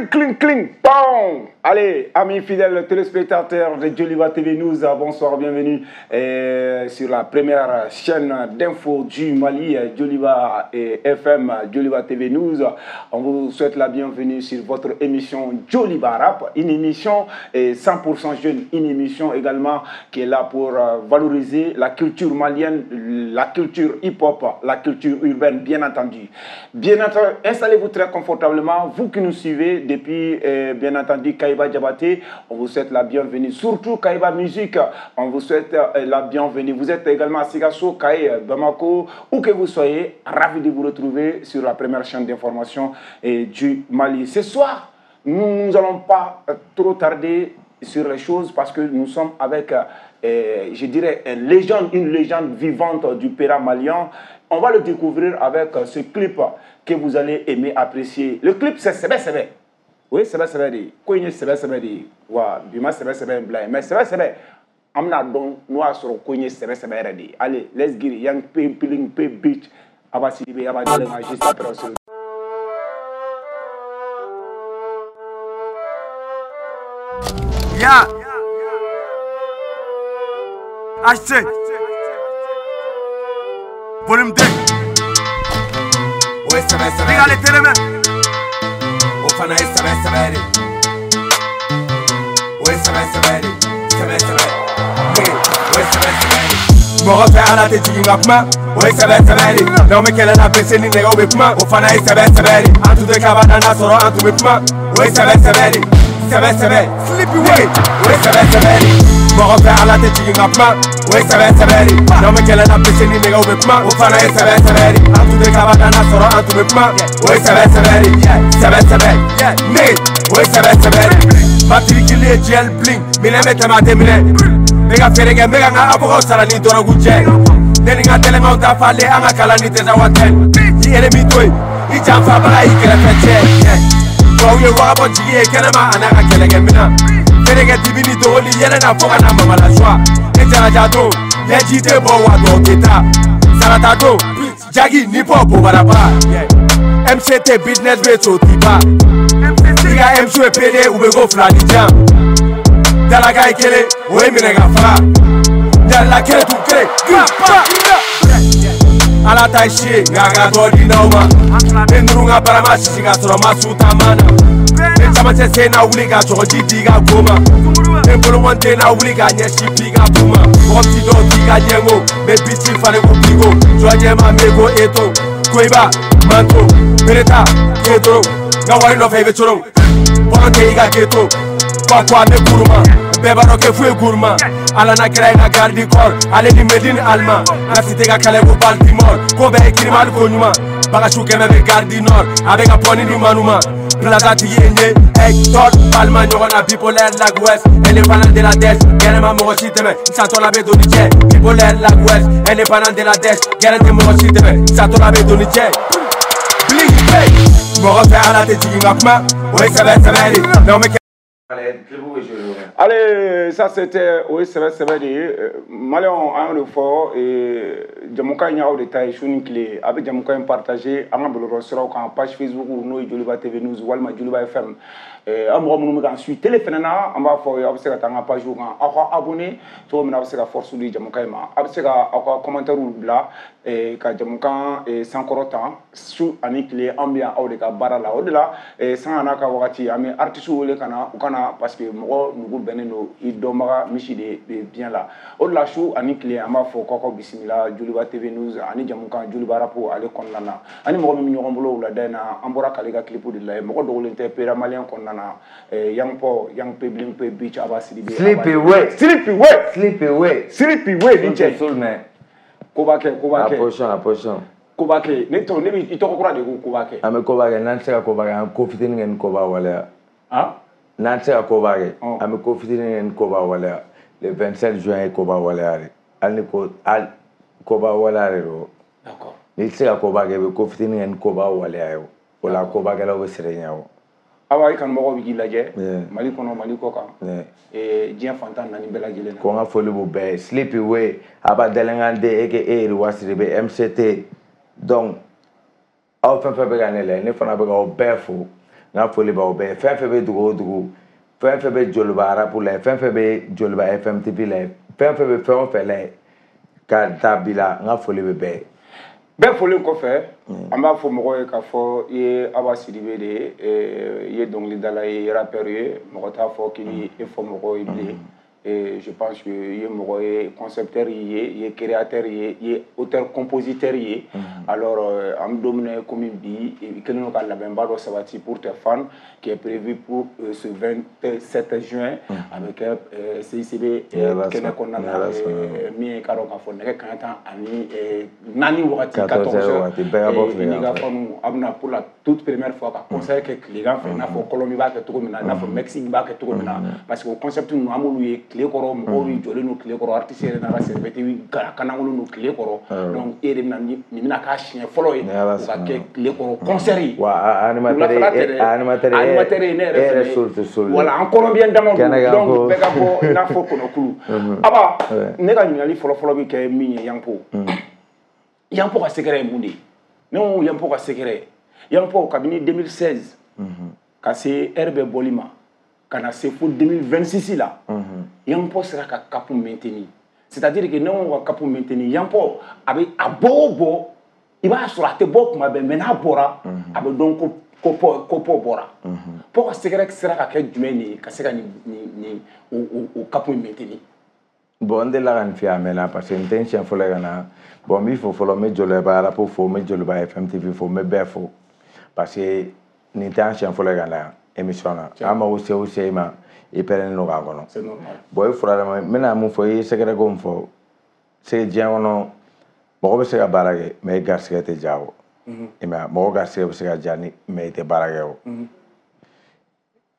Cling, cling, cling, bam. Allez, amis fidèles téléspectateurs de Djoliba TV News, bonsoir, bienvenue sur la première chaîne d'info du Mali, Djoliba FM, Djoliba TV News. On vous souhaite la bienvenue sur votre émission Djoliba Rap, une émission 100% jeune, une émission également qui est là pour valoriser la culture malienne, la culture hip-hop, la culture urbaine, bien entendu. Bien entendu, installez-vous très confortablement, vous qui nous suivez depuis, bien entendu, Kaïba Diabaté, on vous souhaite la bienvenue. Surtout Kaïba Musique, on vous souhaite la bienvenue. Vous êtes également à Sikasso, Kaï, Bamako, où que vous soyez, ravi de vous retrouver sur la première chaîne d'information du Mali. Ce soir, nous n'allons pas trop tarder sur les choses parce que nous sommes avec, je dirais, une légende vivante du Péra malien. On va le découvrir avec ce clip que vous allez aimer, apprécier. Le clip, c'est Sɛbɛ Sɛbɛ. Oui, Sɛbɛ Sɛbɛ de. Ko in ye Sɛbɛ Sɛbɛ de ye. Wa bi ma Sɛbɛ Sɛbɛ in bila yen. Mais Sɛbɛ Sɛbɛ, an bɛna dɔn n'o y'a sɔrɔ ko in ye Sɛbɛ Sɛbɛ yɛrɛ de ye. Allez, let's get it. Young P, Piling P, Bitch. Abba Sidibé, Abba Dalenga, juste après on se retrouve. Yeah. HC. Volume 2. Ouais, ça va, ça va. Regarde les télémains. O fana ye sɛbɛ sɛbɛ de. O ye sɛbɛ sɛbɛ de. Sɛbɛ sɛbɛ. O ye sɛbɛ sɛbɛ de. Mɔgɔ fɛ ala tɛ jigin ka kuma. O ye sɛbɛ sɛbɛ de. N'aw bɛ kɛlɛ la bese ni nɛgɛw bɛ kuma. O fana ye sɛbɛ sɛbɛ de. An tun tɛ kaba dan n'a sɔrɔ an tun bɛ kuma. O ye sɛbɛ sɛbɛ de. Sɛbɛ sɛbɛ. Sleepy way. O ye sɛbɛ sɛbɛ de. Mɔgɔ fɛ ala tɛ jigin ka kuma. O ye sɛbɛ sɛbɛ de. N'aw bɛ kɛlɛ la bese ni nɛgɛw bɛ kuma. O fana ye sɛbɛ sɛbɛ de. An tun tɛ kaba dan n'a sɔrɔ an tun bɛ kuma. O ye sɛbɛ sɛbɛ de. Sɛbɛ sɛbɛ. Ne. O ye sɛbɛ sɛbɛ de. Matricule ye gel bling. Minɛn bɛ tɛmɛ a tɛ minɛ. N bɛ ka feere kɛ, n bɛ ka n ka avocat sara ni dɔrɔgu cɛ. Ne ni n ka tɛlɛmɛw ta falen, an ka kalan ni tɛ wa tɛ. I ennemi to yen, i janfabaga y'i kɛrɛfɛ cɛ. Tubabu ye wagabɔ jigi ye kɛnɛma a n'a ka kɛlɛkɛminɛn. Feere kɛ dibi ni dogoli yɛlɛ na fo ka na mamala suwa. Ne jaraja don, ɲɛji tɛ bɔ wa tɔw tɛ taa. Sarata don, jagi ni bɔ bobaraba. MCT business bɛ so ti ba. I ka MC ye PD u bɛ ko fila ni jan. Dalaka ye kelen, o ye minɛ ka faga. Jalila kelen tun kelen, pa. Ala ta ye si ye, nka a ka dɔ di n'aw ma. Ne ninnu ka barama sisi ka sɔrɔ ma su taama na. Ne camancɛ sen na wuli ka sɔgɔji di ka go ma. Ne bolokɔni den na wuli ka ɲɛsin bi ka kun ma. Mɔgɔ ti dɔw t'i ka ɲɛngo, n bɛ biti falen ko bigo. Jɔ ɲɛma n bɛ ko eto, koyiba, manto, bereta, kedoro. N ka wari nɔfɛ i bɛ coron, bɔlɔn tɛ i ka keto. Kwa an bɛ kuruma, bɛɛ b'a dɔn kɛ foyi kuruma. Ala n'a kɛra i ka garde corps, ale ni Medine Alima. N ka cité ka kɛlɛ ko Baltimore, ko bɛɛ ye kirima hali ko ɲuman. Bagasu kɛmɛ bɛ gare du Nord, a bɛ ka pɔni ni manuma. Plaza tigi ye n ye, Hector Palma ɲɔgɔn na bipolaire lag west. Indépendant de la dèche, gɛrɛ ma mɔgɔ si dɛmɛ, n satɔ la bɛ don ni cɛ. Bipolaire lag west, indépendant de la dèche, gɛrɛ tɛ mɔgɔ si dɛmɛ, n satɔ la bɛ don ni cɛ. Bling bang, mɔgɔ fɛ ala tɛ jigin ka kuma, o ye sɛbɛ sɛbɛ de. N'aw bɛ Allez, ça c'était o ye sɛbɛ sɛbɛ de ye. Maliyɛnw, an y'o de fɔ, jamukan in y'aw de ta ye su ni tile. A bɛ jamukan in partager an ka bɔlɔlɔsiraw kan, page Facebook n'o ye Djoliba TV News walima Djoliba FM. Aw mɔgɔ minnu bɛ k'an suit télé fɛnɛ na, an b'a fɔ aw ye, aw bɛ se ka taa an ka page kan, aw ka abonné cogo min na aw bɛ se ka force di jamukan in ma. Aw bɛ se ka aw ka commentaire bila ka jamukan sankɔrɔta su ani tile. An bɛ yan aw de ka baara la. O de la sanga n'a ka wagati, an bɛ artiste wele ka na u ka na, parce que mɔgɔ nugu bɛnnen don i dɔnbaga misi de bɛ biɲɛ la. O de la su ani tile an b'a fɔ k'aw ka bisimila Djoliba TV News ani jamukan Djoliba Rap ale kɔnɔna na. Ani mɔgɔ min bɛ ɲɔgɔn bolo wulada in na, an bɔra k'ale ka clip de lajɛ. Mɔgɔ dogolen tɛ Pera malien kɔnɔna na. Young Paul, Young P, Bling P, Bitch, Abba Sidibé. Sleepy way. Sleepy way. Sleepy way. Sleepy way ni cɛ. Koba kɛ, koba kɛ. A position, a position. Koba kɛ. Ne tɔgɔ, ne bɛ i tɔgɔ kura de ko koba kɛ. An bɛ koba kɛ, n'an tɛ se ka koba kɛ, an bɛ ko fitinin kɛ ni koba waleya. Han? N'an tɛ se ka koba kɛ, an bɛ ko fitinin kɛ ni koba waleya. Le 27 juin ye koba waleya de. Hali ni ko, hali koba waleya de don. D'accord. N'i tɛ se ka koba kɛ, i bɛ ko fitinin kɛ ni koba waleya ye o. O la kobakɛlaw bɛ siran i ɲɛ o. Awa, i kanubagaw bɛ k'i lajɛ Mali kɔnɔ, Mali kɔ kan, diɲɛ fantan naani bɛɛ lajɛlen na. Ko n ka foli b'u bɛɛ ye. Sleepy way, Aba Dɛlɛngande aka Yiriwa Sidibe MCT. Donc aw fɛn fɛn bɛ ka ne lajɛ, ne fana bɛ k'aw bɛɛ fo. N ka foli b'aw bɛɛ. Fɛn fɛn bɛ dugu o dugu, fɛn fɛn bɛ Joliba rap la, fɛn fɛn bɛ Joliba FM TV la, fɛn fɛn bɛ fɛn o fɛn la, ka taa bi la, n ka foli bɛ bɛɛ ye. Bɛɛ folen kɔfɛ, an b'a fɔ mɔgɔw ye k'a fɔ i ye Aba Sidibe de ye, i ye dɔnkilidala ye, i ye rappeur ye, mɔgɔ t'a fɔ k'i bɛ e fɔ mɔgɔw ye bilen. Et je pense que i ye mɔgɔ ye, concepteur ye, i ye créateur ye, i ye auteur compositeur ye. Alors an bɛ don min na komi bi, i kɛlen don ka labɛnba dɔ sabati pour tes fans qui est prévu pour ce 27 juin a bɛ kɛ CICB kɛnɛ kɔnɔna na, min ye k'a dɔn k'a fɔ nɛgɛ kanɲɛ 14 wagati, 14 heures, i n'i ka fans a bɛna pour la toute première fois ka concert kɛ tilegan fɛ, i n'a fɔ Colombie b'a kɛ cogo min na, i n'a fɔ Mexique b'a kɛ cogo min na, parce que o concept ninnu an b'olu ye tile kɔrɔ, mɔgɔw bɛ jɔlen don tile kɔrɔ, artiste yɛrɛ n'a ka serviette kanankolon don tile kɔrɔ. Donc e de bɛna nin bɛna k'a siɲɛ fɔlɔ ye o ka kɛ tile kɔrɔ concert ye. Wa animateur ye ne yɛrɛ fɛnɛ, voilà, an Colombien dama don, donc bɛɛ ka bɔ i n'a fɔ kɔnɔkulu. Aba, ne ka ɲininkali fɔlɔ-fɔlɔ bɛ kɛ min ye, Yanpo, Yanpo ka secret ye mun de ye? Ne ko Yanpo ka secret, Yanpo kabini 2016 ka se heure bɛɛ bɔli ma, ka na se fo 2026 la, Yanpo sera ka cap maintenir. C'est-à-dire que ne ko ka cap maintenir, Yanpo a bɛ a bɔ o bɔ, i b'a sɔrɔ a tɛ bɔ kuma bɛɛ, mais n'a bɔra a bɛ dɔn ko ko bɔra. Pɔ ka secret sera ka kɛ jumɛn de ye ka se ka nin o cap maintenir? Bon, n delila ka nin f'i ye a mɛnna, parce que n tɛ n siɲɛ fɔlɔ ye ka na. Bon, n b'i fo fɔlɔ, n bɛ Joliba rap fo, n bɛ Joliba FM TV fo, n bɛ bɛɛ fo, parce que nin tɛ an siɲɛ fɔlɔ ye ka na émission na. An mago se o se i ma, i pɛrɛnnen don k'a kɔnɔ. Bon, i fura ma, n bɛna mun fɔ, i ye secret ko min fɔ, c'est diɲɛ kɔnɔ mɔgɔ bɛ se ka baara kɛ, mais i garisɛgɛ tɛ diya o. I m'a ye, mɔgɔ garisɛgɛ bɛ se ka diya ni, mais i tɛ baara kɛ o.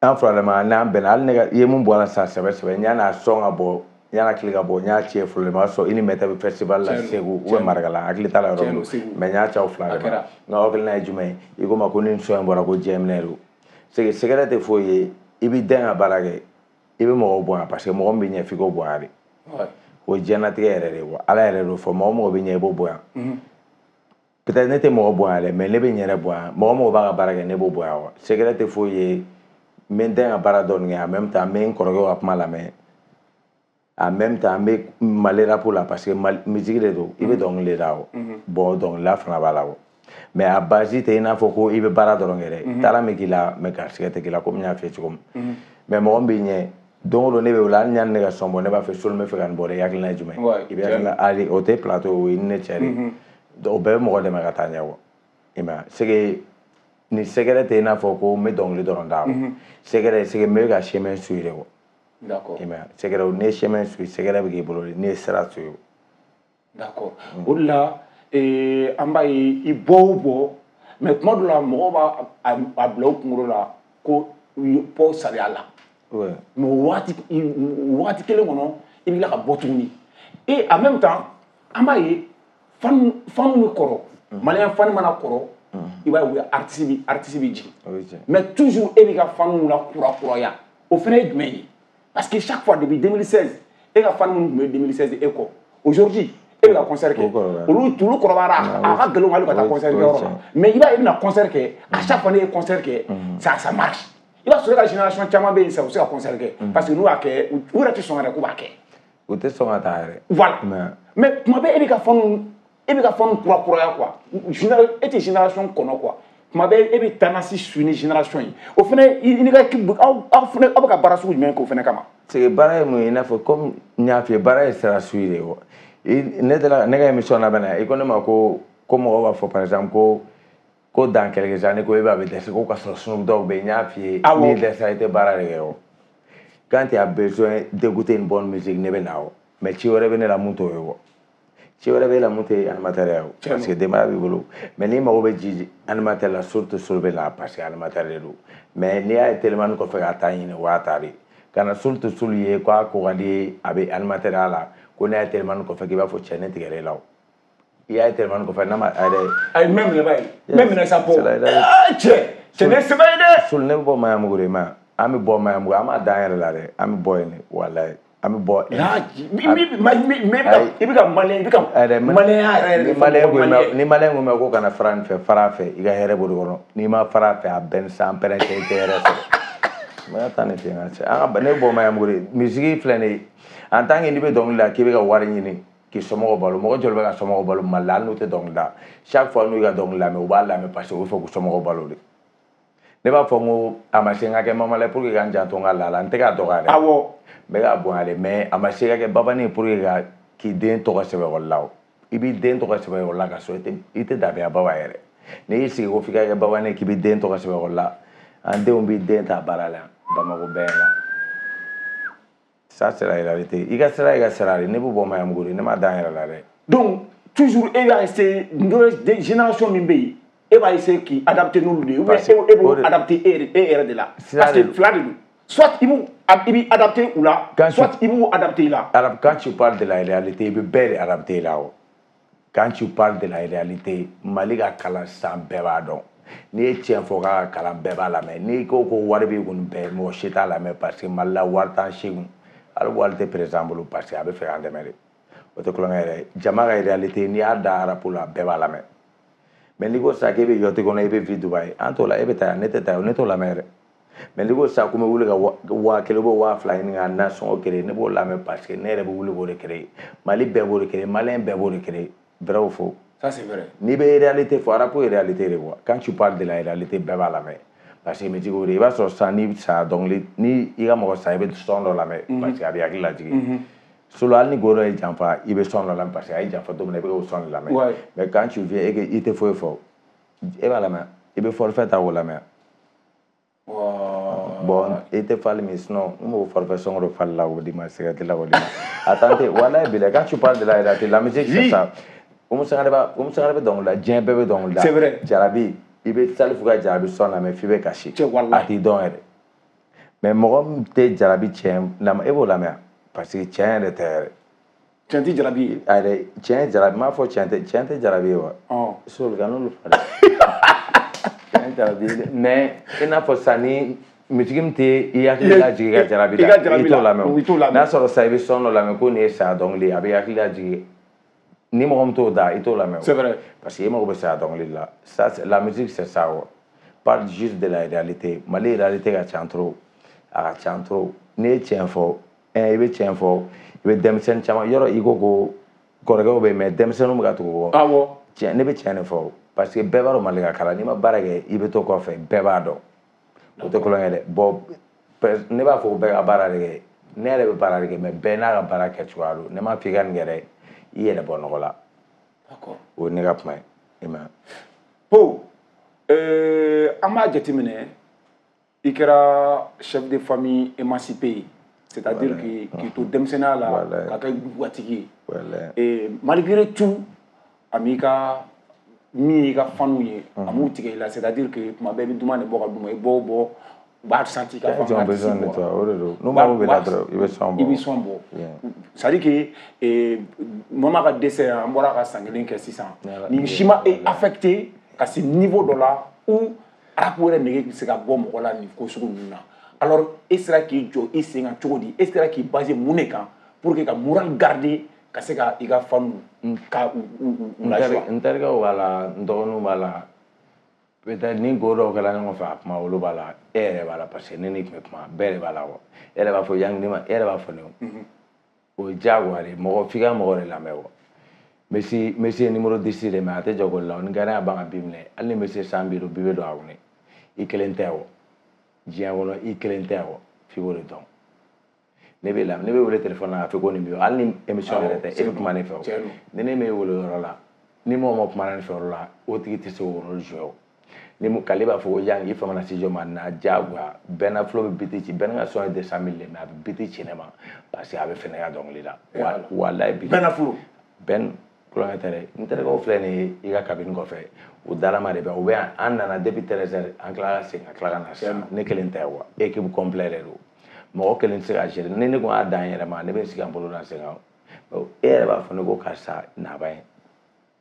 An furadama n'an bɛnna, hali ne ka i ye mun bɔ a la sisan sɛbɛ sɛbɛ, n y'a n'a sɔn ka bɔ, n y'a tile ka bɔ, n y'a ci fɔlɔ, ma sɔn i ni mɛtɛ bɛ festival la Segu ou bien Marikala, hakili t'a la yɔrɔ min, mais n y'a ci aw fila de ma. N ka hakilina ye jumɛn ye? I ko ma ko ni sɔn in bɔra ko diɲɛ minɛ don. C'est que secret tɛ foyi ye, i b'i den ka baara kɛ, i bɛ mɔgɔw bonya, parce que mɔgɔ min bɛ ɲɛ f'i k'o bonya de. O ye diɲɛlatigɛ yɛrɛ de ye wa, Ala yɛrɛ d'o fɔ, mɔgɔ mɔgɔ bɛ ɲɛ i b'o bonya. Peut-être ne tɛ mɔgɔ bonya dɛ, mais ne bɛ n yɛrɛ bonya, mɔgɔ mɔgɔ b'a ka baara kɛ ne b'o bonya wa. Secret tɛ foyi ye, n bɛ n den ka baara dɔɔni kɛ, en même temps n bɛ n kɔrɔkɛw ka kuma lamɛn, en même temps n bɛ Mali rap la, parce que musique de don, i bɛ dɔnkili de da o. Bon, dɔnkilida fana b'a la o, mais a base tɛ i n'a fɔ ko i bɛ baara dɔrɔn kɛ dɛ, taara min k'i la, mais garisɛgɛ tɛ k'i la, komi n y'a f'i ye cogo min. Mais mɔgɔ min b'i ɲɛ don o don, ne bɛ wele, hali ni ne ka sɔn bɔ, ne b'a fɛ Solu, n bɛ fɛ ka nin bɔ dɛ, i hakilina ye jumɛn ye? I bɛ hakilina, hali o tɛ plateau, o ye ni ne cɛ de, o bɛɛ bɛ mɔgɔ dɛmɛ ka taa ɲɛ wa. I m'a ye, c'est que ni secret tɛ i n'a fɔ ko n bɛ dɔnkili dɔrɔn da o. Secret, c'est que n bɛ ka chemin suivre de wa. D'accord. I m'a ye, secret, n'i ye chemin suivre, secret bɛ k'i bolo de, n'i ye sira suivre. D'accord. O de la an b'a ye i bɔ o bɔ, mais tuma dɔ la mɔgɔw b'a a bila u kunkolo la ko pɔ sariya la. Mais o waati kelen kɔnɔ, i bɛ tila ka bɔ tuguni. Et en même temps, an b'a ye fan bɛ kɔrɔ, malien fan mana kɔrɔ, i b'a ye u bɛ artiste bɛ jigin. Mais toujours e b'i ka faniw la kurakuraya, o fana ye jumɛn ye? Parce que chaque fois depuis 2016, e ka fan minnu tun bɛ 2016 e kɔ, aujourd'hui e bɛ ka concert kɛ, olu kɔrɔbayara, a ka gɛlɛn hali ka taa concert kɛyɔrɔ la. Mais i b'a ye i bɛna concert kɛ, à chaque fois ne ye concert kɛ, ça marche. I b'a sɔrɔ e ka génération caman bɛ yen sisan, u bɛ se ka concert kɛ, parce que n'u y'a kɛ, u yɛrɛ tɛ sɔn yɛrɛ k'u b'a kɛ. U tɛ sɔn ka taa yɛrɛ. Voilà. Mais tuma bɛɛ e bɛ ka faniw, e bɛ ka faniw kurakuraya quoi. E tɛ génération kɔnɔ quoi. Tuma bɛɛ e bɛ tendance suivre ni génération ye. O fana i ni ka équipe, aw fana aw bɛ ka baara sugu jumɛn k'o fana kama? C'est que baara ye mun ye, i n'a fɔ comme n y'a f'i ye, baara ye sira suivre de ye wa. Ne delila ne ka émission labɛn na, i ko ne ma ko mɔgɔw b'a fɔ par exemple ko dans quelques années ko e b'a bɛ dɛsɛ ko ka sɔrɔ Snoop Dogg bɛ yen, n y'a f'i ye, n'i dɛsɛra i tɛ baara de kɛ o. Quand tu as besoin d'écouter une bonne musique, ne bɛ na o. Mais ci wɛrɛ bɛ ne la mun t'o ye o. Ci wɛrɛ bɛ e la mun tɛ animateur ye o, parce que denbaya b'i bolo. Mais n'i mago bɛ ji animateur la, surtout Solu bɛ na, parce que animateur de don. Mais n'i y'a ye telimani kɔfɛ ka taa ɲini, o y'a ta de. Ka na surtout Solu ye k'a ko ka di ye, a bɛ animateur ya la, ko n'a ye telimani kɔfɛ k'i b'a fɔ cɛ ne tigɛra e la o. I y'a ye telimani kɔfɛ n'a ma a yɛrɛ. Ayi, même minɛ ba ye, même minɛ sa bɔ. Cɛ ne sɛbɛ ye dɛ. Solu, ne bɛ bɔ Maɲanbugu de ma, an bɛ bɔ Maɲanbugu, an b'a dan yɛrɛ la dɛ, an bɛ bɔ yen de, walayi. An bɛ bɔ. I bɛ ka malien, i bɛ ka malien yɛrɛ de fɔ. Ni malien ko mɛn ko kana fara nin fɛ, fara fɛ, i ka hɛrɛ b'o de kɔnɔ. N'i ma fara fɛ, a bɛɛ ni san pɛrɛn cɛ, i tɛ hɛrɛ sɔrɔ. N ka taa nin fɛ yen ka cɛ. An ka ne bɔ Maɲanbugu de. Musique filɛ nin ye, en tant que n'i bɛ dɔnkili da k'i bɛ ka wari ɲini k'i somɔgɔw balo, mɔgɔ joli bɛ ka somɔgɔw balo Mali la hali n'u tɛ dɔnkili da? Chaque fois n'u ka dɔnkili lamɛn, u b'a lamɛn parce que u bɛ fɛ k'u somɔgɔw balo de. Ne b'a fɔ n ko a ma se n ka kɛ Mamala pour que ka n janto n ka laada, n tɛ k'a dɔgɔya dɛ. Awɔ. N bɛ k'a bonya de, mais a ma se ka kɛ babani ye pour que ka k'i den tɔgɔ sɛbɛn ekɔli la o. I b'i den tɔgɔ sɛbɛn ekɔli la ka sɔrɔ i tɛ dabiya baba yɛrɛ. N'i y'i sigi ko f'i ka kɛ babani ye k'i b'i den tɔgɔ sɛbɛn ekɔli la, an denw b'i den ta baara la Bamakɔ bɛɛ la. Ça c'est la réalité. I ka sira, i ka sira de. Ne bɛ bɔ Maɲanbugu de, ne ma da n yɛrɛ la dɛ. Donc toujours e b'a essayer, génération min bɛ yen, e b'a essayer k'i adapter n'olu de ye, ou bien e b'o adapter e yɛrɛ de la? Parce que fila de don. Soit i b'i adapter u la, soit i b'u adapter i la. Quand tu parles de la réalité, i bɛ bɛɛ de adapter i la o. Quand tu parles de la réalité, Mali ka kalan sisan bɛɛ b'a dɔn. N'i ye tiɲɛ fɔ k'a ka kalan, bɛɛ b'a lamɛn. N'i ko ko wari b'i kun bɛɛ, mɔgɔ si t'a lamɛn parce que Mali la wari t'an si kun. Hali wari tɛ président bolo parce que a bɛ fɛ k'an dɛmɛ de. O tɛ kulonkɛ yɛrɛ ye. Jama ka réalité, n'i y'a da rap la, bɛɛ b'a lamɛn. Mais n'i ko sisan k'e bɛ yacht kɔnɔ, e bɛ vie Dubaï, an t'o la, e bɛ taa yan, ne tɛ taa yan, ne t'o lamɛn yɛrɛ. Mais n'i ko sisan ko n bɛ wuli ka 1000 ou 2000 ɲini ka nasɔngɔ créer, ne b'o lamɛn parce que ne yɛrɛ bɛ wuli k'o de créer. Mali bɛɛ b'o de créer, Malien bɛɛ b'o de créer. Vrai ou faux? Ça c'est vrai. N'i bɛ réalité fɔ, rap ye réalité de quoi. Quand tu parles de la réalité, bɛɛ b'a lamɛn. Parce que musique o de, i b'a sɔrɔ sisan n'i sara dɔnkili, ni i ka mɔgɔ sa, i bɛ son dɔ lamɛn parce que a bɛ hakili lajigin. Solo hali ni go dɔ ye janfa, i bɛ son dɔ lamɛn parce que a ye janfa don min na, i bɛ k'o son de lamɛn. Mais quand tu viens et que i tɛ foyi fɔ, e b'a lamɛn, i bɛ forfait ta k'o lamɛn. Bon, i tɛ fali min, sinon n b'o forfait sɔngɔ dɔ fali la k'o d'i ma, cigarette la k'o d'i ma. Attendez, walayi bilayi, quand tu parles de la réalité, la musique c'est ça. Oumou Sangaré bɛ dɔnkili da, diɲɛ bɛɛ bɛ dɔnkili da. C'est vrai. Jarabi, i bɛ Salifu ka jarabi son lamɛn f'i bɛ kasi. A t'i dɔn yɛrɛ. Mais mɔgɔ min tɛ jarabi tiɲɛ lamɛn, e b'o lamɛn parce que tiɲɛ yɛrɛ tɛ yɛrɛ. Tiɲɛ tɛ jarabi ye. Ayi, tiɲɛ jarabi, n m'a fɔ tiɲɛ tɛ, tiɲɛ tɛ jarabi ye wa. Sori ka n'olu fɔ dɛ. Tiɲɛ jarabi ye dɛ. Mais i n'a fɔ sisan ni musique min tɛ i hakili lajigin i ka jarabi la, i t'o lamɛn. N'a sɔrɔ sisan i bɛ son dɔ lamɛn ko nin ye saya dɔnkili ye, a bɛ hakili lajigin. Ni mɔgɔ min t'o da, i t'o lamɛn. C'est vrai. Parce que i mago bɛ saya dɔnkili la. Ça, la musique c'est ça quoi. Parle juste de la réalité. Mali réalité ka ca trop. A ka ca trop. N'i ye tiɲɛ fɔ, i bɛ tiɲɛ fɔ, i bɛ denmisɛnnin caman yɔrɔ i ko ko kɔrɔkɛw bɛ yen, mais denmisɛnninw bɛ ka tugu o kɔ. Awɔ. Tiɲɛ, ne bɛ tiɲɛ de fɔ parce que bɛɛ b'a dɔn Mali ka kalan, n'i ma baara kɛ i bɛ to kɔfɛ, bɛɛ b'a dɔn. O tɛ kulonkɛ dɛ. Bon, ne b'a fɔ ko bɛɛ ka baara de kɛ. Ne yɛrɛ bɛ baara de kɛ, mais bɛɛ n'a ka baara kɛcogoya don. Ne m'a fɔ i ka nin kɛ dɛ, i yɛrɛ bɔ nɔgɔ la. D'accord. O ye ne ka kuma ye. I m'a ye. Po, an b'a jateminɛ, i kɛra chef de famille émancipé ye. C'est-à-dire k'i to denmisɛnninya la ka kɛ gatigi ye. Et malgré tout, a m'i ka min y'i ka fanu ye, a m'u tigɛ i la. C'est-à-dire que tuma bɛɛ i bɛ duman de bɔ ka d'u ma, i bɔ o bɔ, u b'a senti k'a fɔ an ka artiste bɔra. O de don. N'u mago b'i la dɔrɔn, i bɛ son bɔ. I bɛ son bɔ. C'est-à-dire que Mama ka dɛsɛ, an bɔra ka san kelen kɛ sisan. Nin si ma e affecté ka se niveau dɔ la où rap yɛrɛ nege bɛ se ka bɔ mɔgɔ la nin ko sugu ninnu na. Alors e sera k'i jɔ i sen kan cogo di? E sera k'i baser mun de kan pour que ka moral garder ka se ka i ka fanu ka u lajoie? N terikɛw b'a la, n dɔgɔninw b'a la. Peut-être ni go dɔw kɛra ɲɔgɔn fɛ, a kuma olu b'a la, e yɛrɛ b'a la parce que ne ni tun bɛ kuma, bɛɛ de b'a la wa. E yɛrɛ b'a fɔ yanni ne ma, e yɛrɛ b'a fɔ ne o. O ye diyagoya de ye, mɔgɔ f'i ka mɔgɔ de lamɛn wa. Messi ye numéro 10 de, mais a tɛ jɔ goli la, ni gardien y'a ban ka bi minɛ, hali ni Messi ye 150 bi bɛ don a kɔnɔ. I kelen tɛ wa. Diɲɛ kɔnɔ i kelen tɛ wa, f'i k'o de dɔn. Ne bɛ la, ne bɛ wele téléphone na k'a fɔ ko nin bɛ yen, hali ni émission yɛrɛ tɛ, e bɛ kuma ne fɛ o. Ni ne m'e wele o yɔrɔ la, ni mɔgɔ ma kuma ne fɛ o yɔrɔ la, o tigi tɛ se k'o rôle jouer o. Ni mu k'ale b'a fɔ ko Yang i famana studio ma na diyagoya, bɛɛ n'a flow bɛ biti ci, bɛɛ n'a ka son ye 200 000 de, mais a bɛ biti ci ne ma parce que a bɛ fɛ ne ka dɔnkili da. Walayi bi. Bɛɛ n'a flow. Bɛn kulonkɛ tɛ dɛ, n terikɛw filɛ nin ye i ka cabine kɔfɛ, u darama de bɛ, u bɛ yan, an nana depuis 13h, an tilala ka segin ka tila ka na sisan, ne kelen tɛ wa, équipe complète de don. Mɔgɔ kelen tɛ se ka gérer, ni ne kun y'a dan n yɛrɛ ma, ne bɛ sigi ka n bolo da sen kan. E yɛrɛ b'a fɔ ne ko karisa naba ye,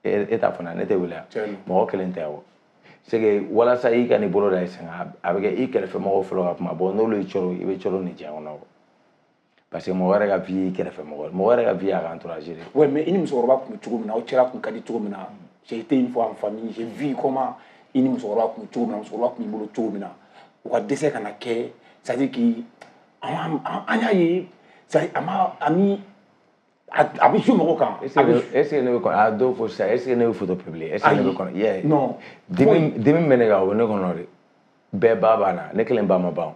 e t'a fɔ ne, ne tɛ wuli yan, mɔgɔ kelen tɛ wa. C'est que walasa i ka n'i bolo da i sen kan, a bɛ kɛ i kɛrɛfɛ mɔgɔw fɔlɔ ka kuma, bon n'olu y'i coro, i bɛ coro nin diɲɛ kɔnɔ. Parce que mɔgɔ yɛrɛ ka vie kɛrɛfɛ mɔgɔ, mɔgɔ yɛrɛ ka vie y'a ka entourage de. Ouais, mais i ni musokɔrɔba tun bɛ cogo min na, aw cɛla tun ka di cogo min na, j'ai été une fois en famille, j'ai vu comment i ni musokɔrɔba tun bɛ cogo min na, musokɔrɔba tun b'i bolo cogo min na, u ka dɛsɛ ka na kɛ, c'est à dire que an y'a ye, c'est à dire a ma a ni a bɛ jouer mɔgɔw kan. Est ce que ne bɛ kɔnɔ a dɔw fɔ sisan, est ce que ne bɛ photo publier, est ce que ne bɛ kɔnɔ? Yeah. Non. Dimi bɛ ne kan, o bɛ ne kɔnɔ de. Bɛɛ ba b'a la, ne kelen ba ma ban.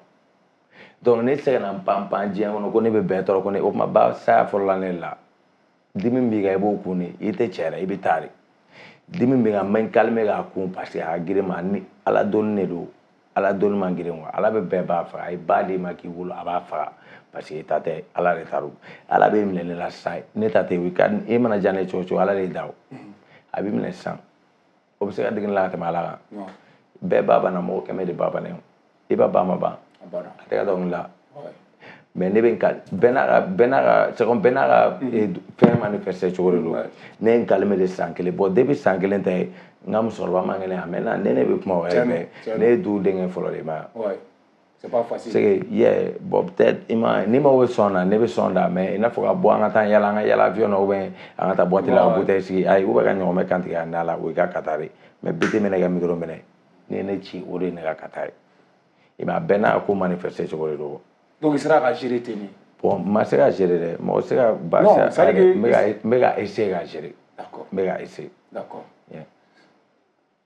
Donc ne tɛ se ka na n pan pan diɲɛ kɔnɔ ko ne bɛ bɛɛ tɔɔrɔ ko ne o tuma ba saya fɔlɔla ne la. Dimi b'i kan, i b'o kun de, i tɛ cɛ yɛrɛ, i bɛ taa de. Dimi b'i kan, n bɛ n calmer k'a kun parce que a ka girin ma ni ala donni de don. Ala donni man girin quoi. Ala bɛ bɛɛ b'a faga, a ye ba d'i ma k'i wolo, a b'a faga parce que i ta tɛ, Ala de ta don. Ala b'e minɛ ne la sisan, ne ta tɛ, e mana diya ne cogo o cogo, Ala de da o. A b'i minɛ sisan, o bɛ se ka digi ne la ka tɛmɛ Ala kan. Bɛɛ ba banna, mɔgɔ 100 de ba banna, i ba ba ma ban, a tɛ ka dɔnkili la. Mais ne bɛ n ka bɛɛ n'a ka c'est comme bɛɛ n'a ka fɛn manifester cogo de don. Ne ye n calmer de san kelen, bon depuis san kelen tɛ, n ka musokɔrɔba man kɛnɛ a mɛnna, ne bɛ kuma o yɛrɛ fɛ, ne ye du denkɛ fɔlɔ de ma. C'est pas facile. C'est que yeah, bon peut-être i ma ni mago bɛ sɔn na, ne bɛ sɔn da, mais i n'a fɔ ka bɔ an ka taa yala, an ka yala avion na ou bien an ka taa boîte la ka bouteille sigi, ayi, ou bien ka ɲɔgɔnmɛ kan tigɛ a da la, o y'i ka kata de. Mais bi tɛ minɛ ka micro minɛ, ni ye ne ci, o de ye ne ka kata ye. I m'a bɛɛ n'a ko manifester cogo de don. Donc i sera ka gérer ten de. Bon, n ma se ka gérer dɛ, mɔgɔ tɛ se ka ba. Non, c'est à dire que n bɛ ka essayer ka gérer. D'accord. N bɛ ka essayer. D'accord.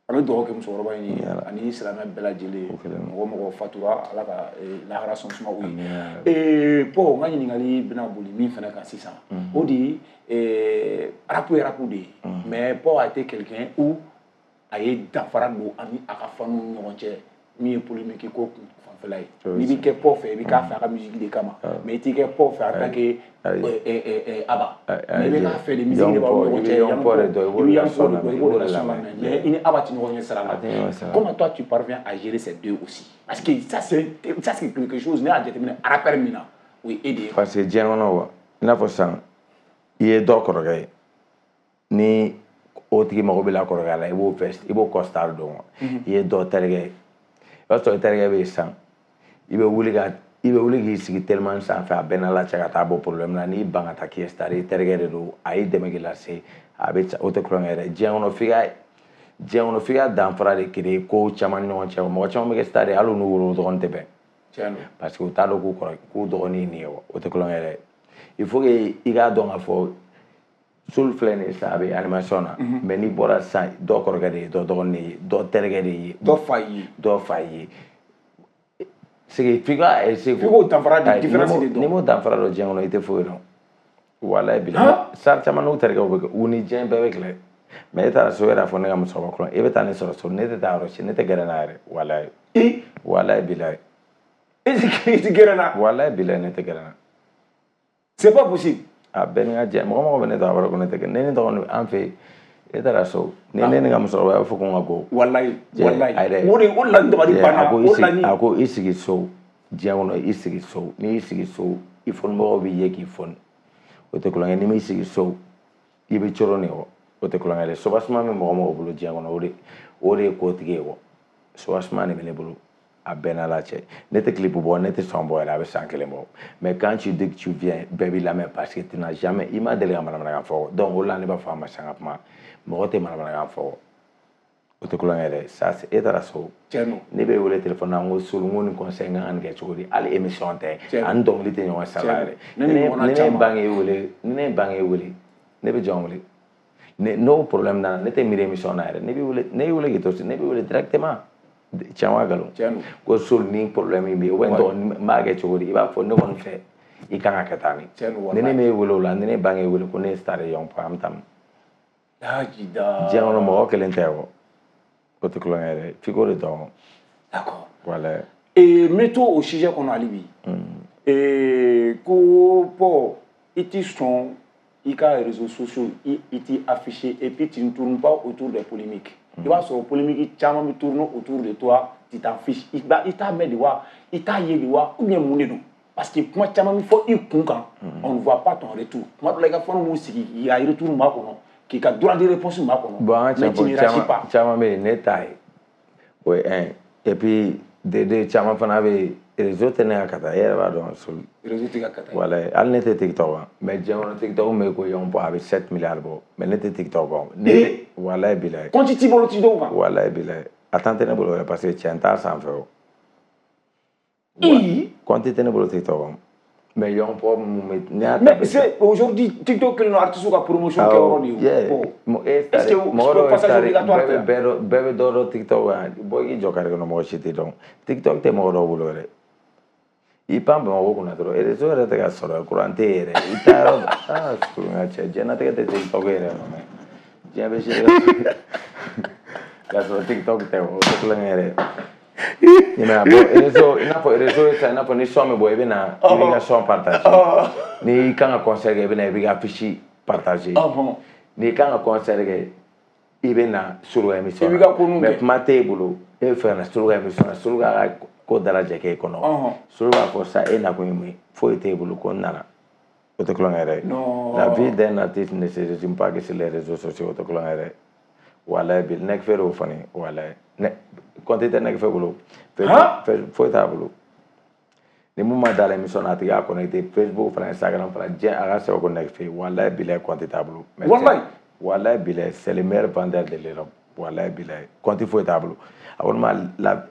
An bɛ dugawu kɛ musokɔrɔba in ye ani silamɛ bɛɛ lajɛlen, mɔgɔ mɔgɔ fatura, Ala ka lahara sɔn suma u ye. Bon, n ka ɲininkali bɛna boli min fana kan sisan, o de ye rap ye rap de ye, mais Paul a été quelqu'un où a ye danfara don ani a ka faniw ni ɲɔgɔn cɛ, min ye polémique ko kun fanfɛla ye. N'i b'i kɛ Paul fɛ, i bɛ k'a fɛ a ka musique de kama, mais i t'i kɛ Paul fɛ en tant que Abba, mais i bɛ k'a fɛ de musique de b'aw ni ɲɔgɔn cɛ, i bɛ Young Paul de dɔn, i b'o de la son lamɛn, mais i ni Abba tɛ ɲɔgɔn ɲɛ sira la. Comment toi tu parviens à gérer ces deux aussi? Parce que ça c'est quelque chose, ne y'a jateminɛ rappeur min na, o ye e de ye. Parce que diɲɛ kɔnɔ wa, i n'a fɔ sisan i ye dɔ kɔrɔkɛ ye, ni o tigi mago bɛ la kɔrɔkɛ la, i b'o veste, i b'o costard don wa. I ye dɔ terikɛ ye, i b'a sɔrɔ i terikɛ bɛ yen sisan, i bɛ wuli k'i sigi teliman sanfɛ, a bɛɛ n'Ala cɛ ka taa bɔ problème na, n'i ban ka taa k'i ye star, i terikɛ de don, a y'i dɛmɛ k'i lase, a bɛ o tɛ kulonkɛ yɛrɛ. Diɲɛ kɔnɔ f'i ka danfara de créer ko caman ni ɲɔgɔn cɛ. Mɔgɔ caman bɛ kɛ star ye, hali u n'u wolo dɔgɔnin tɛ bɛn, parce que u t'a dɔn k'u kɔrɔ k'u dɔgɔnin ye nin ye wa, o tɛ kulonkɛ yɛrɛ. Il faut que i k'a dɔn k'a fɔ Soul filɛ nin ye sisan, a bɛ animation na, mais n'i bɔra sisan, dɔ kɔrɔkɛ de ye, dɔ dɔgɔnin de ye, dɔ terikɛ de ye, dɔ fa ye, dɔ fa ye. C'est que f'i ka essayer. F'i k'o danfara de différence de dɔn. N'i m'o danfara dɔn diɲɛ kɔnɔ, i tɛ foyi dɔn. Walayi bilayi. Star caman n'u terikɛw bɛ kɛ, u ni diɲɛ bɛɛ bɛ kɛlɛ. Mais e taara so, e yɛrɛ fɔ ne ka musokɔrɔba kɔnɔ, e bɛ taa ne sɔrɔ so, ne tɛ taa yɔrɔ si, ne tɛ gɛrɛ n'a yɛrɛ, walayi. Walayi bilayi. E tɛ gɛrɛ na. Walayi bilayi, ne tɛ gɛrɛ na. C'est pas possible. A bɛɛ ni ka jɛ, mɔgɔ mɔgɔ bɛ ne dɔn, a b'a dɔn ko ne tɛ gɛrɛ. Ne ni dɔgɔnin an fɛ yen, e taara so, ni ne ni ka musokɔrɔba b'a fɔ ko n ka bɔ. Walayi, walayi. O de o la n dabali banna. O la ni. A ko i sigi so, diɲɛ kɔnɔ i sigi so, n'i y'i sigi so, i fɔnibagaw b'i ye k'i fɔni. O tɛ kulonkɛ, n'i m'i sigi so, i bɛ coron de kɔ. O tɛ kulonkɛ dɛ. Sobasuma bɛ mɔgɔ mɔgɔ bolo diɲɛ kɔnɔ, o de ye kotigi ye kɔ. Sobasuma de bɛ ne bolo. A bɛɛ n'Ala cɛ. Ne tɛ clip bɔ, ne tɛ son bɔ yɛrɛ, a bɛ san kelen bɔ. Mais quand tu dis que tu viens, bɛɛ b'i lamɛn parce que tu n'as jamais, i ma deli ka manamanakan fɔ. Donc o la ne b'a fɔ a ma sisan ka kuma, mɔgɔ tɛ manamanakan fɔ. O tɛ kulonkɛ dɛ. Ça c'est e taara so. Ne bɛ wele téléphone na, n ko Soul, n ko nin conseil n kan ka nin kɛ cogo di? Hali émission tɛ, ani dɔnkili tɛ ɲɔgɔn sara yɛrɛ. Ni ne bange wele, ni ne bange wele, ne bɛ jɔn wele? N'o problème nana, ne tɛ miiri émission na yɛrɛ. Ne b'i wele, ne y'i wele k'i to so, ne b'i wele directement. Tiɲɛ wa nkalon? Ko Soul ni problème in bɛ yen, ou bien n b'a kɛ cogo di? I b'a fɔ ne kɔni fɛ i kan ka kɛ tan de. Ni ne m'e wele o la, ni ne bange wele ko ne ye star ye, an bɛ taa. Diɲɛ kɔnɔ mɔgɔ kelen tɛ o. O tɛ kulonkɛ yɛrɛ, f'i k'o de dɔn. D'accord. Voilà. Et mets-toi au sujet kɔnɔ hali bi. Ko Paul, i t'i sɔn i ka réseaux sociaux, i t'i afficher et puis tu ne tournes pas autour des polémiques. I b'a sɔrɔ polémique caman bɛ tourner autour de toi, tu t'en fiches. I t'a mɛn de wa, i t'a ye de wa, ou bien mun de don? Parce que kuma caman bɛ fɔ i kun kan, on ne voit pas ton retour. Kuma dɔ la i ka fɛnw b'u sigi, i ka retour ma kɔnɔ, k'i ka droit de réponse ma kɔnɔ. Bon, an ka tiɲɛ fɔ, caman bɛ yen ne t'a ye, o ye un. Et puis deux, caman fana bɛ yen. Réseau tɛ ne ka kata, e yɛrɛ b'a dɔn. Réseau tɛ ka kata. Walayi, hali ne tɛ TikTok kan, mais diɲɛ kɔnɔ TikTok bɛ ko Young Pop a bɛ 7 milliards bɔ, mais ne tɛ TikTok kan. Ne tɛ, walayi bilayi. Compte t'i bolo TikTok kan? Walayi bilayi. A temps tɛ ne bolo yɛrɛ parce que cɛ n t'a sanfɛ o. Compte tɛ ne bolo TikTok kan. Mais Young Pop mun bɛ ne y'a ta. Mais c'est aujourd'hui TikTok kɛlen don artiste ka promotion kɛ yɔrɔ de ye o. Est-ce que mɔgɔ dɔw passage obligatoire tɛ? Bɛɛ bɛ dɔ dɔn TikTok kan, bɔ i k'i jɔ carré kɔnɔ mɔgɔ si t'i dɔn. TikTok tɛ mɔgɔ dɔw bolo yɛrɛ. I pan Bamakɔ kunna dɔrɔn réseau yɛrɛ tɛ ka sɔrɔ, courant tɛ yen yɛrɛ. I taa yɔrɔ aa n ka cɛ, diɲɛlatigɛ tɛ TikTok yɛrɛ ma mɛ. Diɲɛ bɛ se k'a sɔrɔ TikTok tɛ o tɛ kulonkɛ yɛrɛ. I m'a ye bon réseau i n'a fɔ réseau ye sisan i n'a fɔ ni son bɛ bɔ i bɛ na i b'i ka son partager. N'i kan ka concert kɛ i bɛ na i b'i ka affiche partager. N'i kan ka concert kɛ i bɛ na Soloka émission na. Mais kuma t'e bolo e bɛ fɛ ka na Soloka émission na, Soloka ka ko dalajɛ k'e kɔnɔ. Solo b'a fɔ sa e nakun ye mun ye, foyi t'e bolo ko n nana. O tɛ kulonkɛ yɛrɛ ye. La vie d'un artiste ne se résume pas que sur les réseaux sociaux, o tɛ kulonkɛ yɛrɛ ye. Walayi bi Nɛgɛfɛ de y'o fɔ ne ye, walayi. Compte tɛ Nɛgɛfɛ bolo. Foyi t'a bolo. Ni mun ma da la émission na a tigi y'a connecté Facebook fana Instagram fana diɲɛ a ka sɛbɛn ko Nɛgɛfɛ walayi bilayi compte t'a bolo. Walayi. Walayi bilayi c'est le meilleur vendeur de l'Europe. Walayi bilayi compte foyi t'a bolo. A ko ne ma